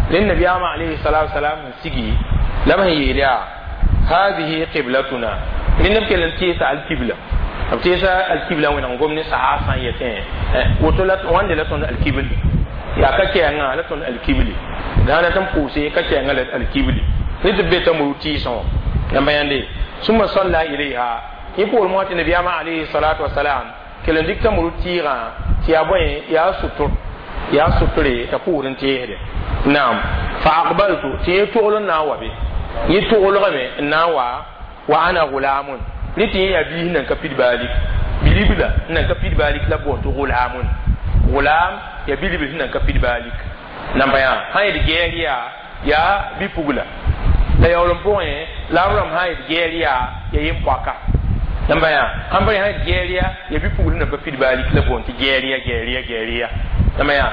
Speaker 1: للنبي عليه الصلاة والسلام سيغي لم هي هذه قبلتنا لنبكي لنتيسا القبلة تيسا القبلة وين نقوم نسعى سنيتين وتلت وان لتون القبلة yaa ka kɛɛngã la tõnd alkibli la sã dat n pʋʋse ka kɛɛngã la alkibli ne tɩ b be t'a muru tɩɩsẽ wã yãmba yãnde sũma salla ilayha yẽ poor mosã tɩ nabiyaamã alayhi salatu wasalam kell n dɩk t'a muru tɩɩgã tɩ yaa bõe yaa sʋtr yaa sʋtre t'a pʋʋd n teesde naam fa aqbaltu tɩ yẽ togl n na n wa be yẽ toglgame n na n wa wa ana gulamun rẽ tɩ yẽ yaa biis nan ka pid baalik bilibla n nan ka pid baalik la boond tɩ gulamun Gulam ya bilibl sẽn nan ka pid baalik namba yã sã yet gɛɛr yaa yaa bi-pugla la yaool n pʋgẽ la b rãmb sã yet gɛɛr yaa ya yem-poaka namba yã sãn pa sã yet gɛɛr yaa ya bi-pugl sẽn nan pa pid baalik la boond tɩ gɛɛr ya gɛɛr ya gɛɛr ya namba yã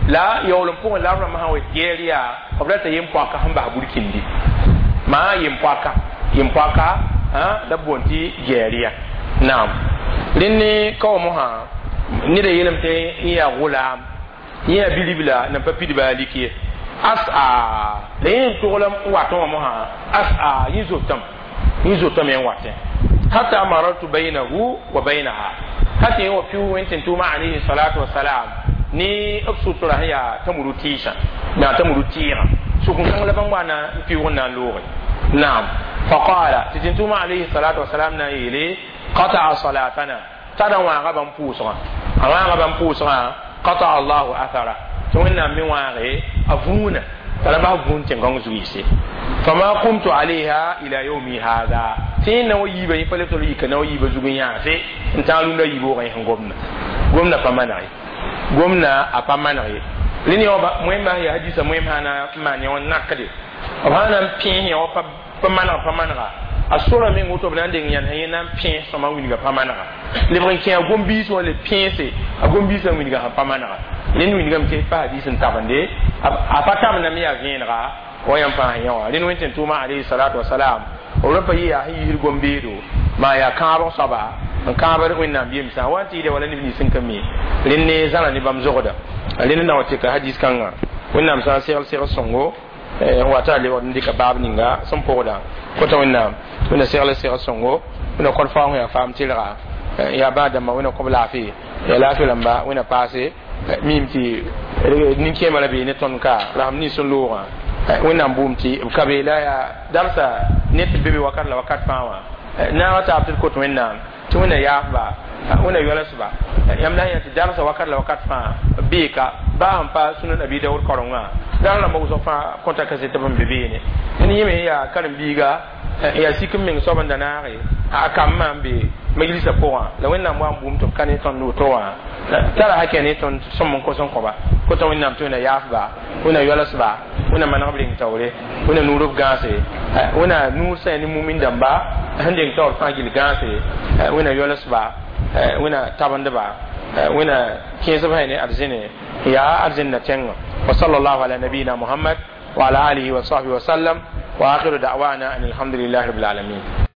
Speaker 1: la yaool n pʋgẽ la b rãmb sã wa yet gɛɛr yaa b rata yem-poaka sẽn bas burkindi maa yem-poaka yem-poaka la b boond tɩ gɛɛr ya naam rẽnd ka wa mosã ned a yeelame tɩ n yaa gʋlaam yẽ yaa bilibla nan pa pid baalik ye as'a la yẽ n togl n watẽ wã mosã as'a yẽ zotame yẽ zotame n watẽ hatta marartu baynahu wa baynaha hata yẽ wa piʋ wẽn tɩ tʋʋma alayhi salatu wasalam ne b sutura sẽn yaa tamuru tɩɩsã yaa tamuru tɩɩgã sʋk-kãng la bãmb wa na n pɩʋg n na n looge naam faqala tɩ tɩ tʋʋma alayhi salatu wasalam na n yeele qata'a salatana tara wãaga bãmb pʋʋsgã a wãaga bãmb pʋʋsgã qata'a allahu athara tɩ wẽnnaam me wãage a vũuna t'a ra bas vũun tẽn-gãng zug-yɩse fama qumtu alayha ila yawmi hada tɩ yẽ na wa yiibã yẽ pa le tol yika na wa yiibã zug n yãase n tãag rũndã yiib-woogã yẽ sẽn gomna gomna pa maneg ye gomna a pa maneg ye rẽnd yã moẽmbã sẽn yaa hadisa moẽm sã na n maan yã wã nakde b sã na n pẽes yã wa pa maneg pa manega a sora meng woto b na n deng yãnesã yẽ na n pẽes sõma wilga pa manega lebg n kẽ a gom-biis wã le pẽese a gom-biisã wilga sẽn pa manega rẽnd wilgame tɩ pa hadis n tabende a pa tabendame yaa vẽenega wa yãmb fãa sẽn yã wã rẽnd wẽn tɩ tʋʋma alayhi salatu wasalam b ra pa yɩ yaa sẽn yiisd gom-beedo maa yaa kãabg soaba n kãabd wẽnnaam yemsã wa n tɩ yɩɩda wala neb nins sẽn ka mi rẽnd ne zãra ne bãmb zogda rẽnd na wa tɩka hadis kãnga wẽnnaam sã n segl segl sõngo n wa t'a lebgd n dɩka baab ninga sẽn pʋgda kota wẽnnaam wẽnna segl segl sõngo wẽnna kod faoong yaa faam tɩlga yaa bãa dãmbã wẽnna kõb laafɩ yaa laafɩ rãmba wẽnna paase mim tɩ nin-kẽemã ra bee ne tõnd ka la sãm nins sẽn loogã wẽnnaam bʋʋm tɩ b ka be la yaa darsa ne tɩ be be wakat la wakat fãa wã naaga taab tɩ d kot wẽnnaam tɩ wẽnna yaafba wẽnna yoalsba yãmb la yã tɩ darsa wakat la wakat fãa beeka baa sẽn pa sunan abi daood karengã dar rãmba wʋsg fãa kõta kaset b n be beene n yẽme sẽn yaa karen-biiga yaa sik n meng soab n da naage a kambã n be majlisa pʋgã la wẽnnaam wa n bʋʋm tɩ b ka ne tõnd woto wã tara hakɛ ne tõnd sõm n kos n kõba kota wẽnnaam tɩ wẽnna yaafba wẽnna yoalsba wẽnna maneg b reng taoore wẽnna nuur b gãase wẽnna nuur sã ne mumin dãmba sẽn deng taoor fãa gill gãase wẽnna yoalsba wẽnna tabendba wẽnna kẽesb sã ne arzẽne yaa arzẽnna tẽngã wa sallallahu ala nabiyina muhammad wa ala alihi wa sahbihi wa sallam wa akhiru da'wana an alhamdulillahi rabbil alamin.